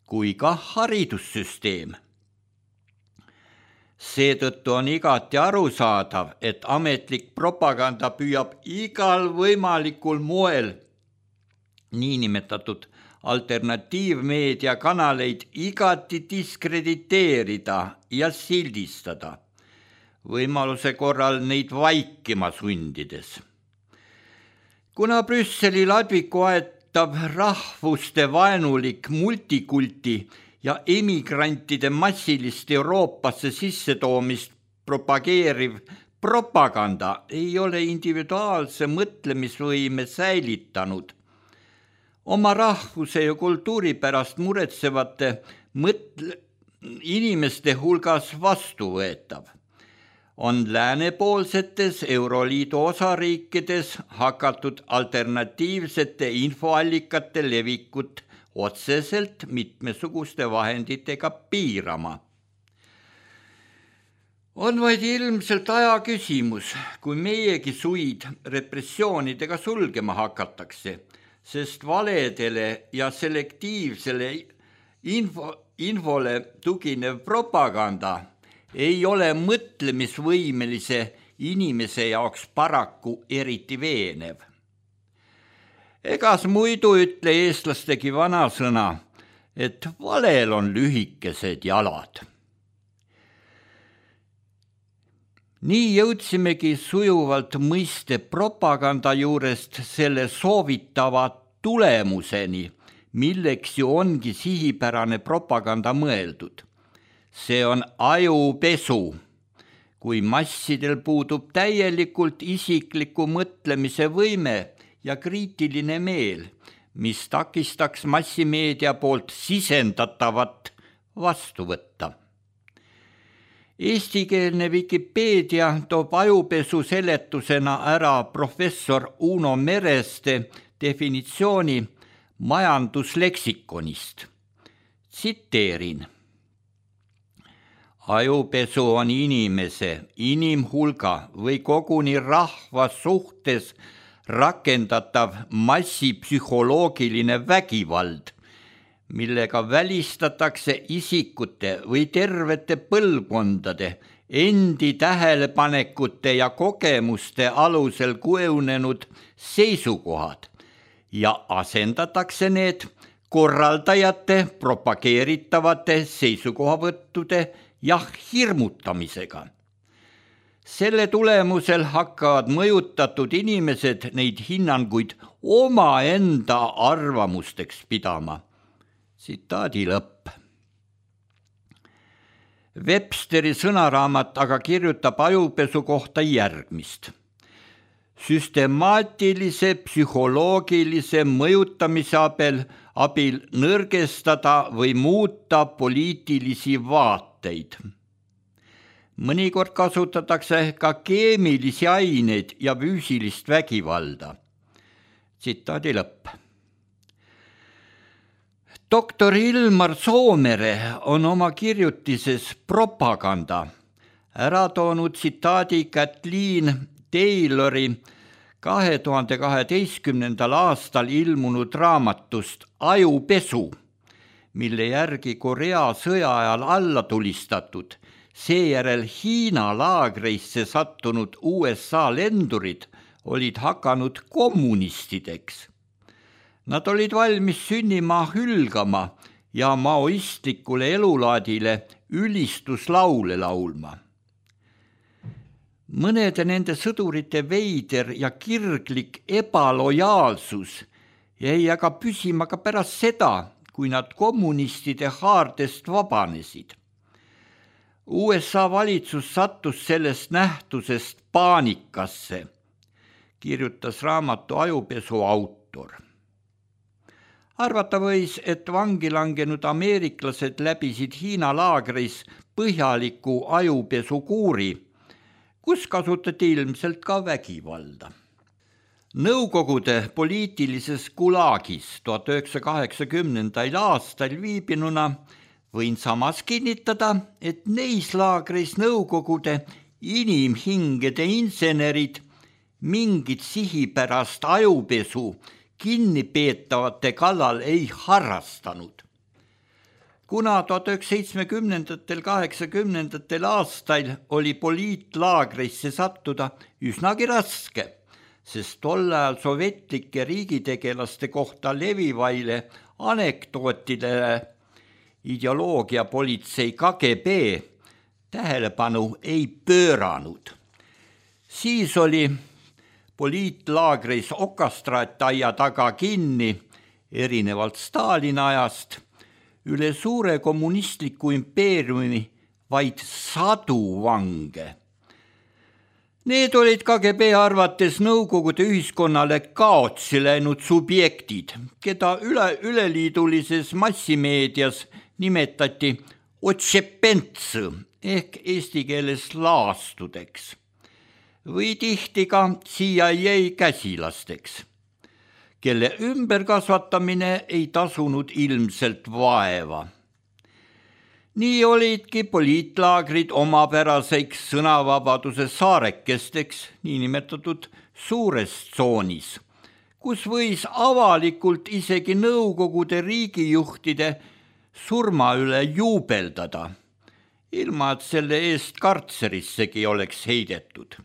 kui ka haridussüsteem. Seetõttu on igati arusaadav, et ametlik propaganda püüab igal võimalikul moel niinimetatud alternatiivmeedia kanaleid igati diskrediteerida ja sildistada, võimaluse korral neid vaikima sundides. Kuna Brüsseli ladviku aetav rahvuste vaenulik multikulti ja emigrantide massilist Euroopasse sissetoomist propageeriv propaganda ei ole individuaalse mõtlemisvõime säilitanud, oma rahvuse ja kultuuri pärast muretsevate inimeste hulgas vastuvõetav, on läänepoolsetes Euroliidu osariikides hakatud alternatiivsete infoallikate levikut otseselt mitmesuguste vahenditega piirama. On vaid ilmselt aja küsimus, kui meiegi suid repressioonidega sulgema hakatakse, sest valedele ja selektiivsele infole tuginev propaganda ei ole mõtlemisvõimelise inimese jaoks paraku eriti veenev. Egas muidu ütle eestlastegi vanasõna, et valel on lühikesed jalad. Nii jõudsimegi sujuvalt mõiste propaganda juurest selle soovitava tulemuseni, milleks ju ongi sihipärane propaganda mõeldud. See on ajupesu, kui massidel puudub täielikult isikliku mõtlemise võime ja kriitiline meel, mis takistaks massimeedia poolt sisendatavat vastu võtta. Eestikeelne Wikipeedia toob ajupesu seletusena ära professor Uno Mereste definitsiooni majandusleksikonist. Tsiteerin. Ajupesu on inimese, inimhulga või koguni rahva suhtes rakendatav massipsühholoogiline vägivald, millega välistatakse isikute või tervete põlvkondade endi tähelepanekute ja kogemuste alusel kujunenud seisukohad ja asendatakse need korraldajate propageeritavate seisukohavõttude ja hirmutamisega. Selle tulemusel hakkavad mõjutatud inimesed neid hinnanguid omaenda arvamusteks pidama. Tsitaadi lõpp. Websteri sõnaraamat aga kirjutab ajupesu kohta järgmist. süstemaatilise psühholoogilise mõjutamise abil nõrgestada või muuta poliitilisi vaateid. Mõnikord kasutatakse ka keemilisi aineid ja füüsilist vägivalda. Tsitaadi lõpp. Doktor Ilmar Soomere on oma kirjutises Propaganda ära toonud tsitaadi Kathleen Taylori 2012. aastal ilmunud raamatust Ajupesu, mille järgi Korea sõja ajal alla tulistatud, seejärel Hiina laagreisse sattunud USA lendurid olid hakanud kommunistideks. Nad olid valmis sünnimaa hülgama ja maoistlikule elulaadile ülistuslaule laulma. Mõnede nende sõdurite veider ja kirglik ebalojaalsus jäi aga püsima ka pärast seda, kui nad kommunistide haardest vabanesid. USA valitsus sattus sellest nähtusest paanikasse, kirjutas raamatu Ajupesu autor. Arvata võis, et vangi langenud ameeriklased läbisid Hiina laagris põhjaliku ajupesukuuri, kus kasutati ilmselt ka vägivalda. Nõukogude poliitilises Gulagis 1980. aastal viibinuna võin samas kinnitada, et neis laagris Nõukogude inimhingede insenerid mingit sihipärast ajupesu kinnipeetavate kallal ei harrastanud. Kuna 1970–80. aastail oli poliitlaagrisse sattuda üsnagi raske, sest tol ajal sovjetlike riigitegelaste kohta levivaile anekdootidele ideoloogiapolitsei KGB tähelepanu ei pööranud. Siis oli poliitlaagris okastraataia taga kinni, erinevalt Stalini ajast, üle suure kommunistliku impeeriumi vaid 100 vange. Need olid KGB arvates Nõukogude ühiskonnale kaotsi läinud subjektid, keda üleliidulises massimeedias nimetati otšepentsõ ehk eesti keeles laastudeks või tihti ka CIA käsilasteks, kelle ümberkasvatamine ei tasunud ilmselt vaeva. Nii olidki poliitlaagrid omapäraseks sõnavabaduse saarekesteks, niinimetatud suures tsoonis, kus võis avalikult isegi Nõukogude riigijuhtide surma üle juubeldada, ilma et selle eest kartserissegi oleks heidetud.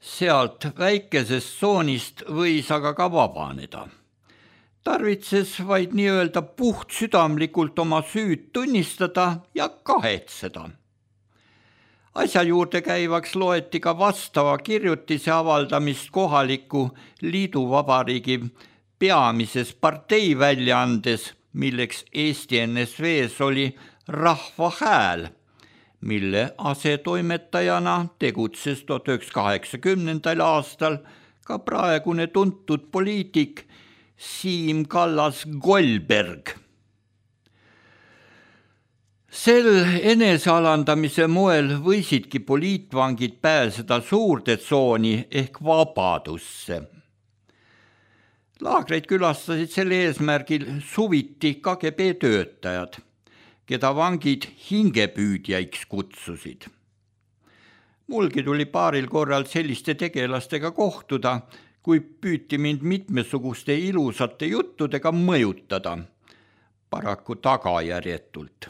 Sealt väikesest tsoonist võis aga ka vabaneda. Tarvitses vaid nii-öelda puhtsüdamlikult oma süüd tunnistada ja kahetseda. Asja juurde käivaks loeti ka vastava kirjutise avaldamist kohaliku liiduvabariigi peamises parteiväljaandes, milleks Eesti NSV-s oli Rahva Hääl, mille asetoimetajana tegutses 1980. aastal ka praegune tuntud poliitik Siim Kallas-Goldberg. Sel enesealandamise moel võisidki poliitvangid pääseda suurde tsooni ehk vabadusse. Laagreid külastasid sel eesmärgil suviti KGB töötajad, keda vangid hingepüüdjaiks kutsusid. Mulgi tuli paaril korral selliste tegelastega kohtuda, kui püüti mind mitmesuguste ilusate juttudega mõjutada, paraku tagajärjetult,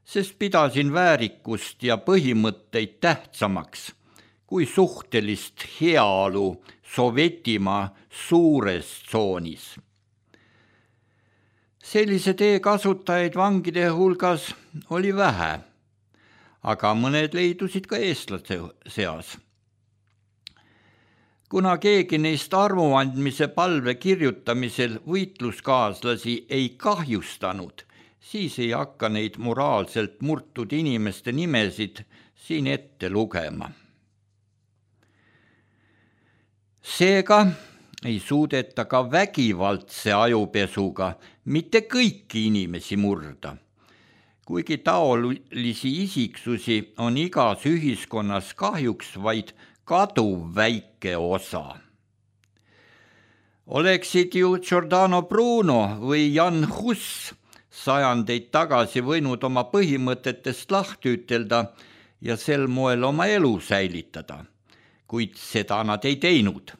sest pidasin väärikust ja põhimõtteid tähtsamaks kui suhtelist heaolu Sovjetimaa suures tsoonis. Sellise tee kasutajaid vangide hulgas oli vähe, aga mõned leidusid ka eestlaste seas. Kuna keegi neist armuandmise palve kirjutamisel võitluskaaslasi ei kahjustanud, siis ei hakka neid moraalselt murtud inimeste nimesid siin ette lugema. Seega ei suudeta ka vägivaldse ajupesuga mitte kõiki inimesi murda. Kuigi taolisi isiksusi on igas ühiskonnas kahjuks vaid kaduv väike osa. Oleksid ju Giordano Bruno või Jan Hus sajandeid tagasi võinud oma põhimõtetest lahti ütelda ja sel moel oma elu säilitada, kuid seda nad ei teinud,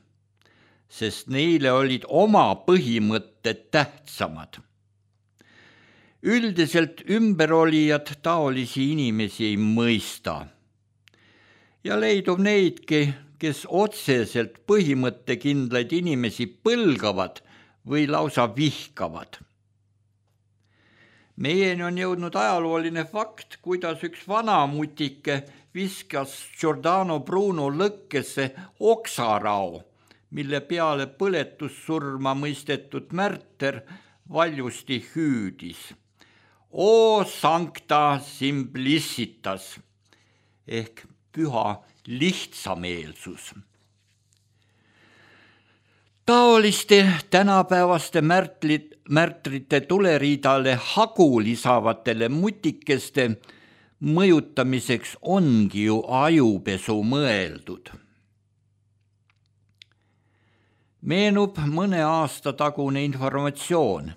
sest neile olid oma põhimõtted tähtsamad. Üldiselt ümberolijad taolisi inimesi ei mõista ja leidub neidki, kes otseselt põhimõttekindlaid inimesi põlgavad või lausa vihkavad. Meieni on jõudnud ajalooline fakt, kuidas üks vanamutike viskas Giordano Bruno lõkkesse oksarao, mille peale põletussurma mõistetud märter valjusti hüüdis. O sancta simplicitas ehk püha lihtsameelsus. Taoliste tänapäevaste märtrite tuleriidale hagu lisavatele mutikeste mõjutamiseks ongi ju ajupesu mõeldud. Meenub mõne aasta tagune informatsioon,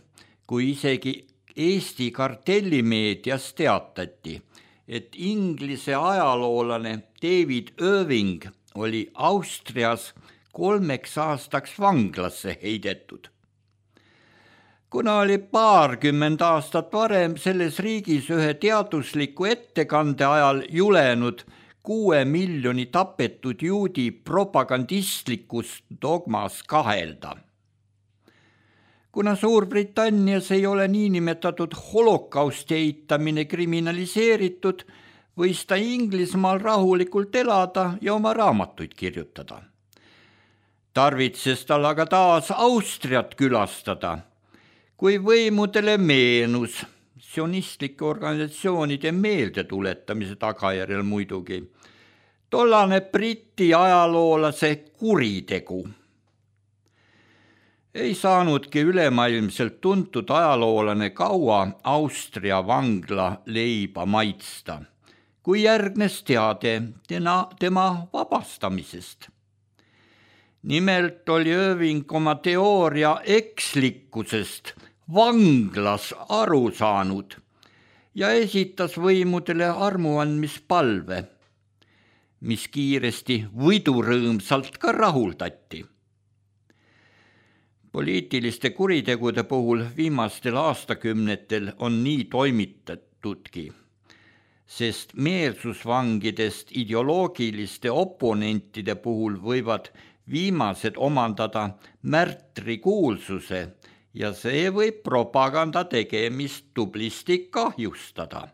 kui isegi Eesti kartellimeedias teatati, et Inglise ajaloolane David Irving oli Austrias 3 aastaks vanglasse heidetud. Kuna oli 20 aastat varem selles riigis ühe teadusliku ettekande ajal julenud 6 miljoni tapetud juudi propagandistlikus dogmas kahelda. Kuna Suurbritannias ei ole niinimetatud holokausti eitamine kriminaliseeritud, võis ta Inglismaal rahulikult elada ja oma raamatuid kirjutada. Tarvitses tal aga taas Austriat külastada, kui võimudele meenus, sionistlike organisatsioonide meeldetuletamise tagajärjel muidugi, tollane Briti ajaloolase kuritegu. Ei saanudki ülemaailmselt tuntud ajaloolane kaua Austria vangla leiba maitsta, kui järgnes teade tema vabastamisest. Nimelt oli Irving oma teooria ekslikkusest vanglas aru saanud ja esitas võimudele armuandmispalve, mis kiiresti võidurõõmsalt ka rahuldati. Poliitiliste kuritegude puhul viimastel aastakümnetel on nii toimitatudki, sest meelsusvangidest ideoloogiliste oponentide puhul võivad viimased omandada märtrikuulsuse ja see võib propaganda tegemist tublisti kahjustada.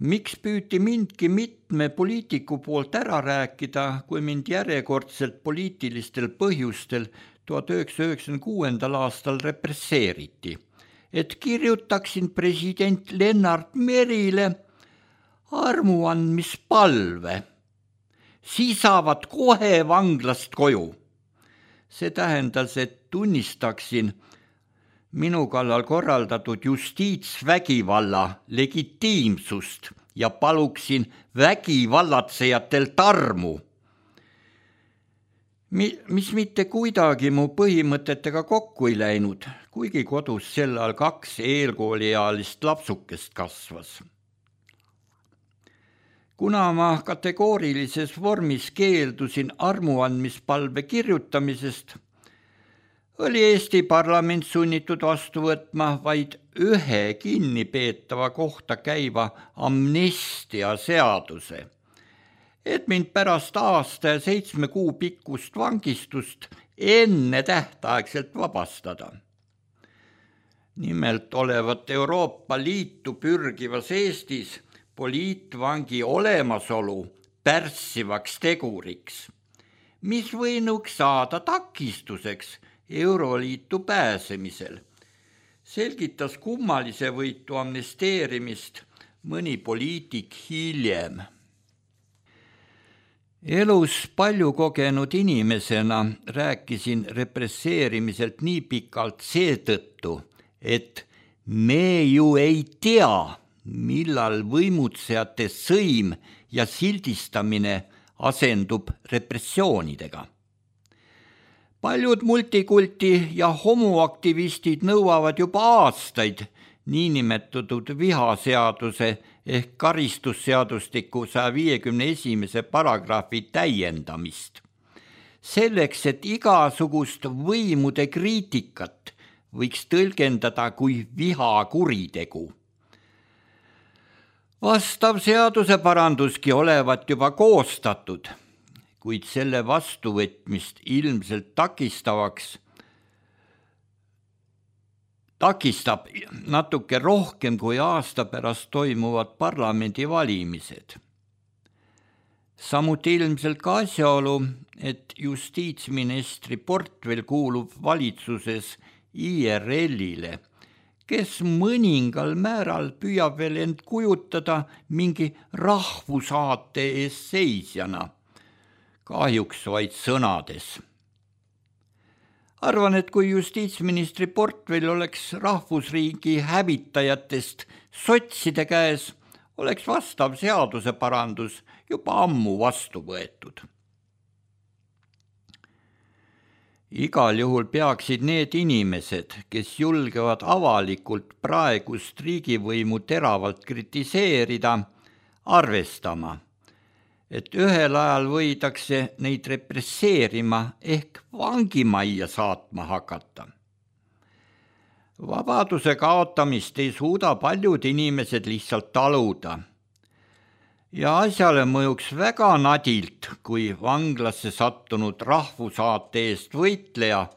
Miks püüti mindki mitme poliitiku poolt ära rääkida, kui mind järjekordselt poliitilistel põhjustel 1996. aastal represseeriti, et kirjutaksin president Lennart Merile armuandmispalve. Siis saavad kohe vanglast koju. See tähendas, et tunnistaksin minu kallal korraldatud justiitsvägivalla legitiimsust ja paluksin vägivallatsejatel tarmu, mis mitte kuidagi mu põhimõtetega kokku ei läinud, kuigi kodus sel ajal 2 eelkooliealist lapsukest kasvas. Kuna ma kategoorilises vormis keeldusin armuandmispalve kirjutamisest, oli Eesti parlament sunnitud vastu võtma vaid 1 kinnipeetava kohta käiva amnestia seaduse, et mind pärast aasta ja 7 kuu pikkust vangistust enne tähtaegselt vabastada. Nimelt olevat Euroopa Liitu pürgivas Eestis poliitvangi olemasolu pärssivaks teguriks, mis võinuks saada takistuseks Euroliitu pääsemisel, selgitas kummalise võitu amnesteerimist mõni poliitik hiljem. Elus palju kogenud inimesena rääkisin represseerimiselt nii pikalt seetõttu, et me ju ei tea, millal võimutsejate sõim ja sildistamine asendub repressioonidega. Paljud multikulti ja homoaktivistid nõuavad juba aastaid niinimetatud vihaseaduse ehk karistusseadustiku 151. paragrahvi täiendamist. Selleks, et igasugust võimude kriitikat võiks tõlgendada kui vihakuritegu. Vastav seaduseparanduski olevat juba koostatud, kuid selle vastuvõtmist ilmselt takistab natuke rohkem kui aasta pärast toimuvad parlamendivalimised. Samuti ilmselt ka asjaolu, et justiitsministri portfell kuulub valitsuses IRL-ile, kes mõningal määral püüab veel end kujutada mingi rahvusaate eest seisjana, kahjuks vaid sõnades. Arvan, et kui justiitsministri portfell oleks rahvusriigi hävitajatest sotside käes, oleks vastav seaduseparandus juba ammu vastu võetud. Igal juhul peaksid need inimesed, kes julgevad avalikult praegust riigivõimu teravalt kritiseerida, arvestama, et ühel ajal võidakse neid represseerima ehk vangimajja saatma hakata. Vabaduse kaotamist ei suuda paljud inimesed lihtsalt taluda. Ja asjale mõjuks väga nadilt, kui vanglasse sattunud rahvusaate eest võitleja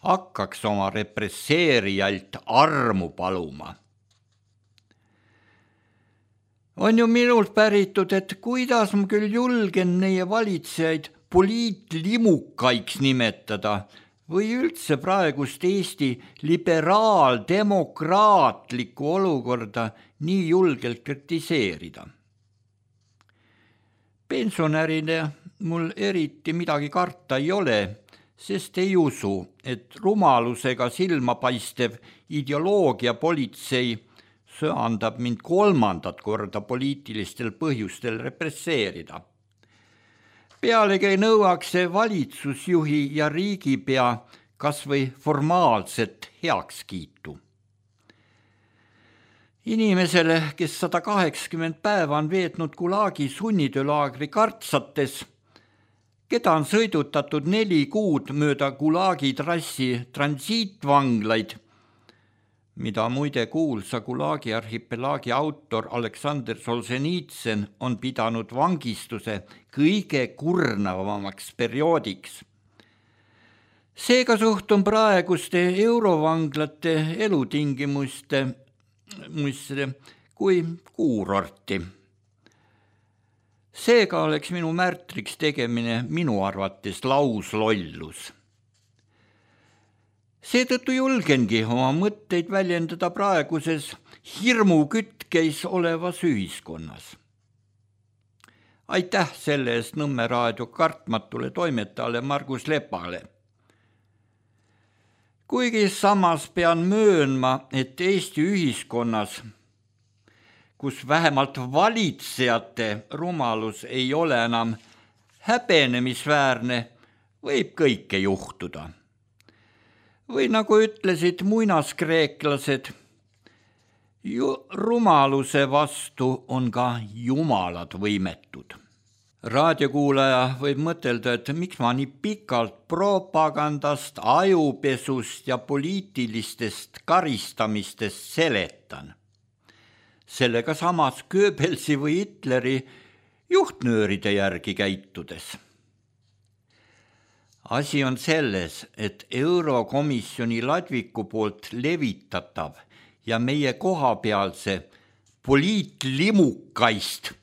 hakkaks oma represseerijalt armu paluma. On ju minult päritud, et kuidas ma küll julgen meie valitsejaid poliitlimukaiks nimetada või üldse praegust Eesti liberaaldemokraatlikku olukorda nii julgelt kritiseerida. Pensionärine mul eriti midagi karta ei ole, sest ei usu, et rumalusega silmapaistev ideoloogiapolitsei söandab mind 3. korda poliitilistel põhjustel represseerida. Pealegi ei nõuaks see valitsusjuhi ja riigipea kas või formaalset heakskiitu. Inimesele, kes 180 päeva on veetnud Gulagi sunnitöölaagri kartsates, keda on sõidutatud 4 kuud mööda Gulagi trassi transiitvanglaid, mida muide kuulsa Gulagi arhipelaagi autor Aleksander Solženitsyn on pidanud vangistuse kõige kurnavamaks perioodiks. Seega suhtun praeguste eurovanglate elutingimuste kui kuurorti. Seega oleks minu märtriks tegemine minu arvates lauslollus. Seetõttu julgengi oma mõtteid väljendada praeguses hirmukütkeis olevas ühiskonnas. Aitäh selle eest Nõmme raadio kartmatule toimetajale Margus Lepale. Kuigi samas pean möönma, et Eesti ühiskonnas, kus vähemalt valitsejate rumalus ei ole enam häbenemisväärne, võib kõike juhtuda. Või nagu ütlesid muinaskreeklased, rumaluse vastu on ka jumalad võimetud. Raadiokuulaja võib mõtelda, et miks ma nii pikalt propagandast, ajupesust ja poliitilistest karistamistest seletan. Sellega samas Goebbelsi või Hitleri juhtnööride järgi käitudes. Asi on selles, et Eurokomisjoni Ladviku poolt levitatav ja meie kohapealse poliitlimukaist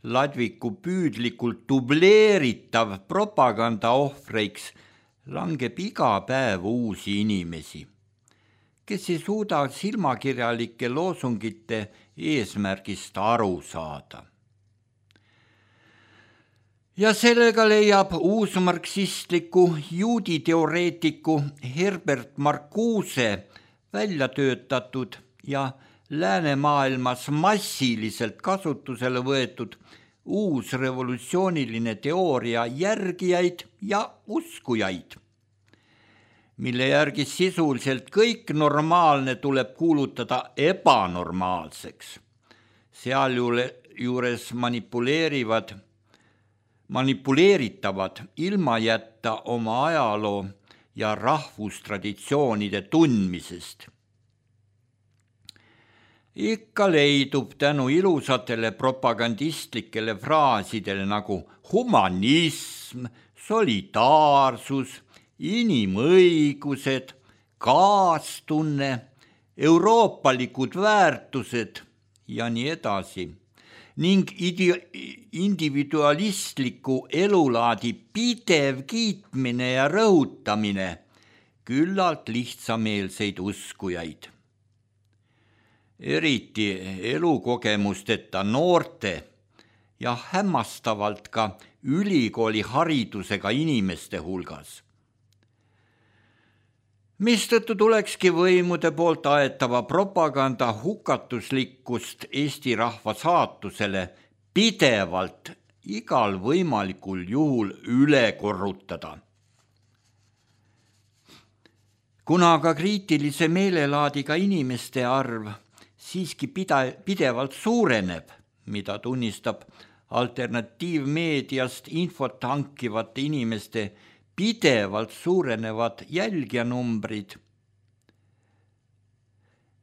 Ladviku püüdlikult dubleeritav propaganda ohvreiks langeb iga päev uusi inimesi, kes ei suuda silmakirjalike loosungite eesmärgist aru saada. Ja sellega leiab uusmarksistliku juuditeoreetiku Herbert Marcuse välja töötatud ja läänemaailmas massiliselt kasutusele võetud uus revolutsiooniline teooria järgijaid ja uskujaid, mille järgi sisuliselt kõik normaalne tuleb kuulutada ebanormaalseks. Sealjuures manipuleeritavad ilma jätta oma ajaloo ja rahvustraditsioonide tundmisest. Ikka leidub tänu ilusatele propagandistlikele fraasidele nagu humanism, solidaarsus, inimõigused, kaastunne, euroopalikud väärtused ja nii edasi ning individualistliku elulaadi pidev kiitmine ja rõhutamine küllalt lihtsameelseid uskujaid. Eriti elukogemusteta noorte ja hämmastavalt ka ülikooli haridusega inimeste hulgas. Mistõttu tulekski võimude poolt aetava propaganda hukatuslikkust Eesti rahva saatusele pidevalt igal võimalikul juhul üle korrutada. Kuna aga kriitilise meelelaadiga inimeste arv siiski pidevalt suureneb, mida tunnistab alternatiivmeediast infot hankivate inimeste pidevalt suurenevad jälgijanumbrid,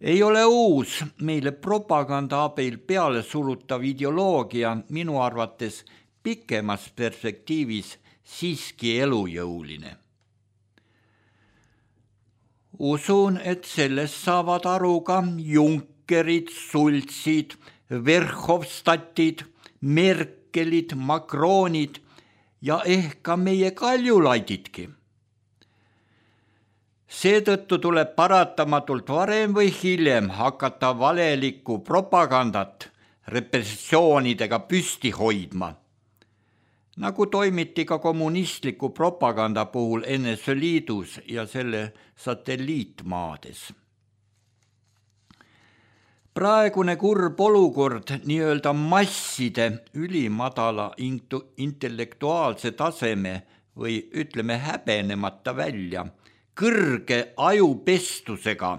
ei ole uus meile propaganda abil peale surutav ideoloogia minu arvates pikemas perspektiivis siiski elujõuline. Usun, et sellest saavad aru ka Junckerid, Sultsid, Verhofstadtid, Merkelid, Macronid ja ehk ka meie Kaljulaididki. Seetõttu tuleb paratamatult varem või hiljem hakata valelikku propagandat repressioonidega püsti hoidma, nagu toimiti ka kommunistliku propaganda puhul NSV Liidus ja selle satelliitmaades. Praegune kurb olukord nii-öelda masside ülimadala intellektuaalse taseme või ütleme häbenemata välja kõrge ajupestusega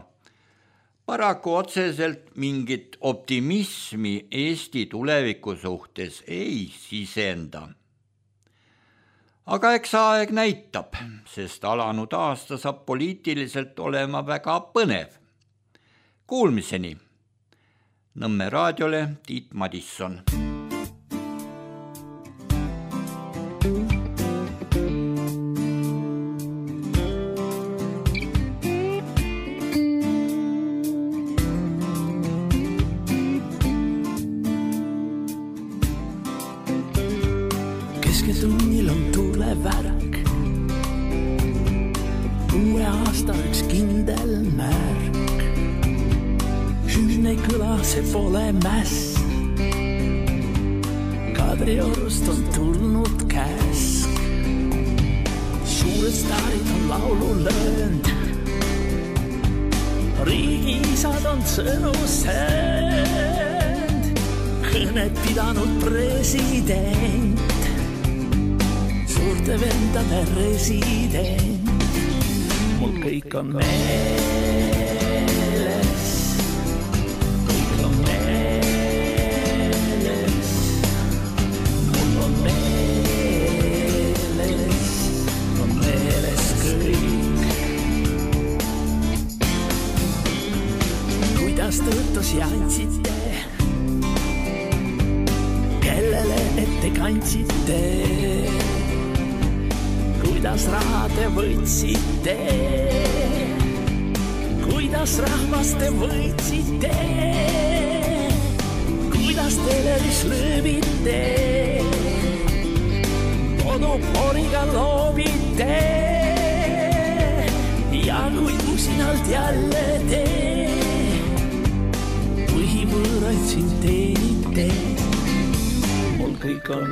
paraku otseselt mingit optimismi Eesti tuleviku suhtes ei sisenda. Aga eks aeg näitab, sest alanud aasta saab poliitiliselt olema väga põnev. Kuulmiseni! Nõmme raadiole Tiit Madisson. Kesketunnil on tulevärak, uue aasta üks kindel märk. Hüüne kõla, see pole mäss. Kadriorust on tulnud käsk. Suured staarid on laulu löönd. Riigiisad on sõnu söönd. Kõnet pidanud president. Suurte vendade resident. Mul kõik on Tõotus ja andsite, kellele ette kandsite, kuidas raha te võtsite, kuidas rahvast te võtsite, kuidas teleris lööbite, monoporiga loobite ja kui usinalt jälle te võõraid siin teenite, mul kõik on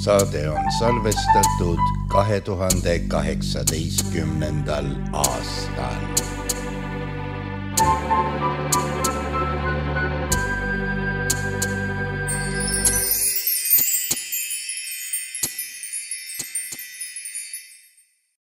Saade on salvestatud 2018. aastal.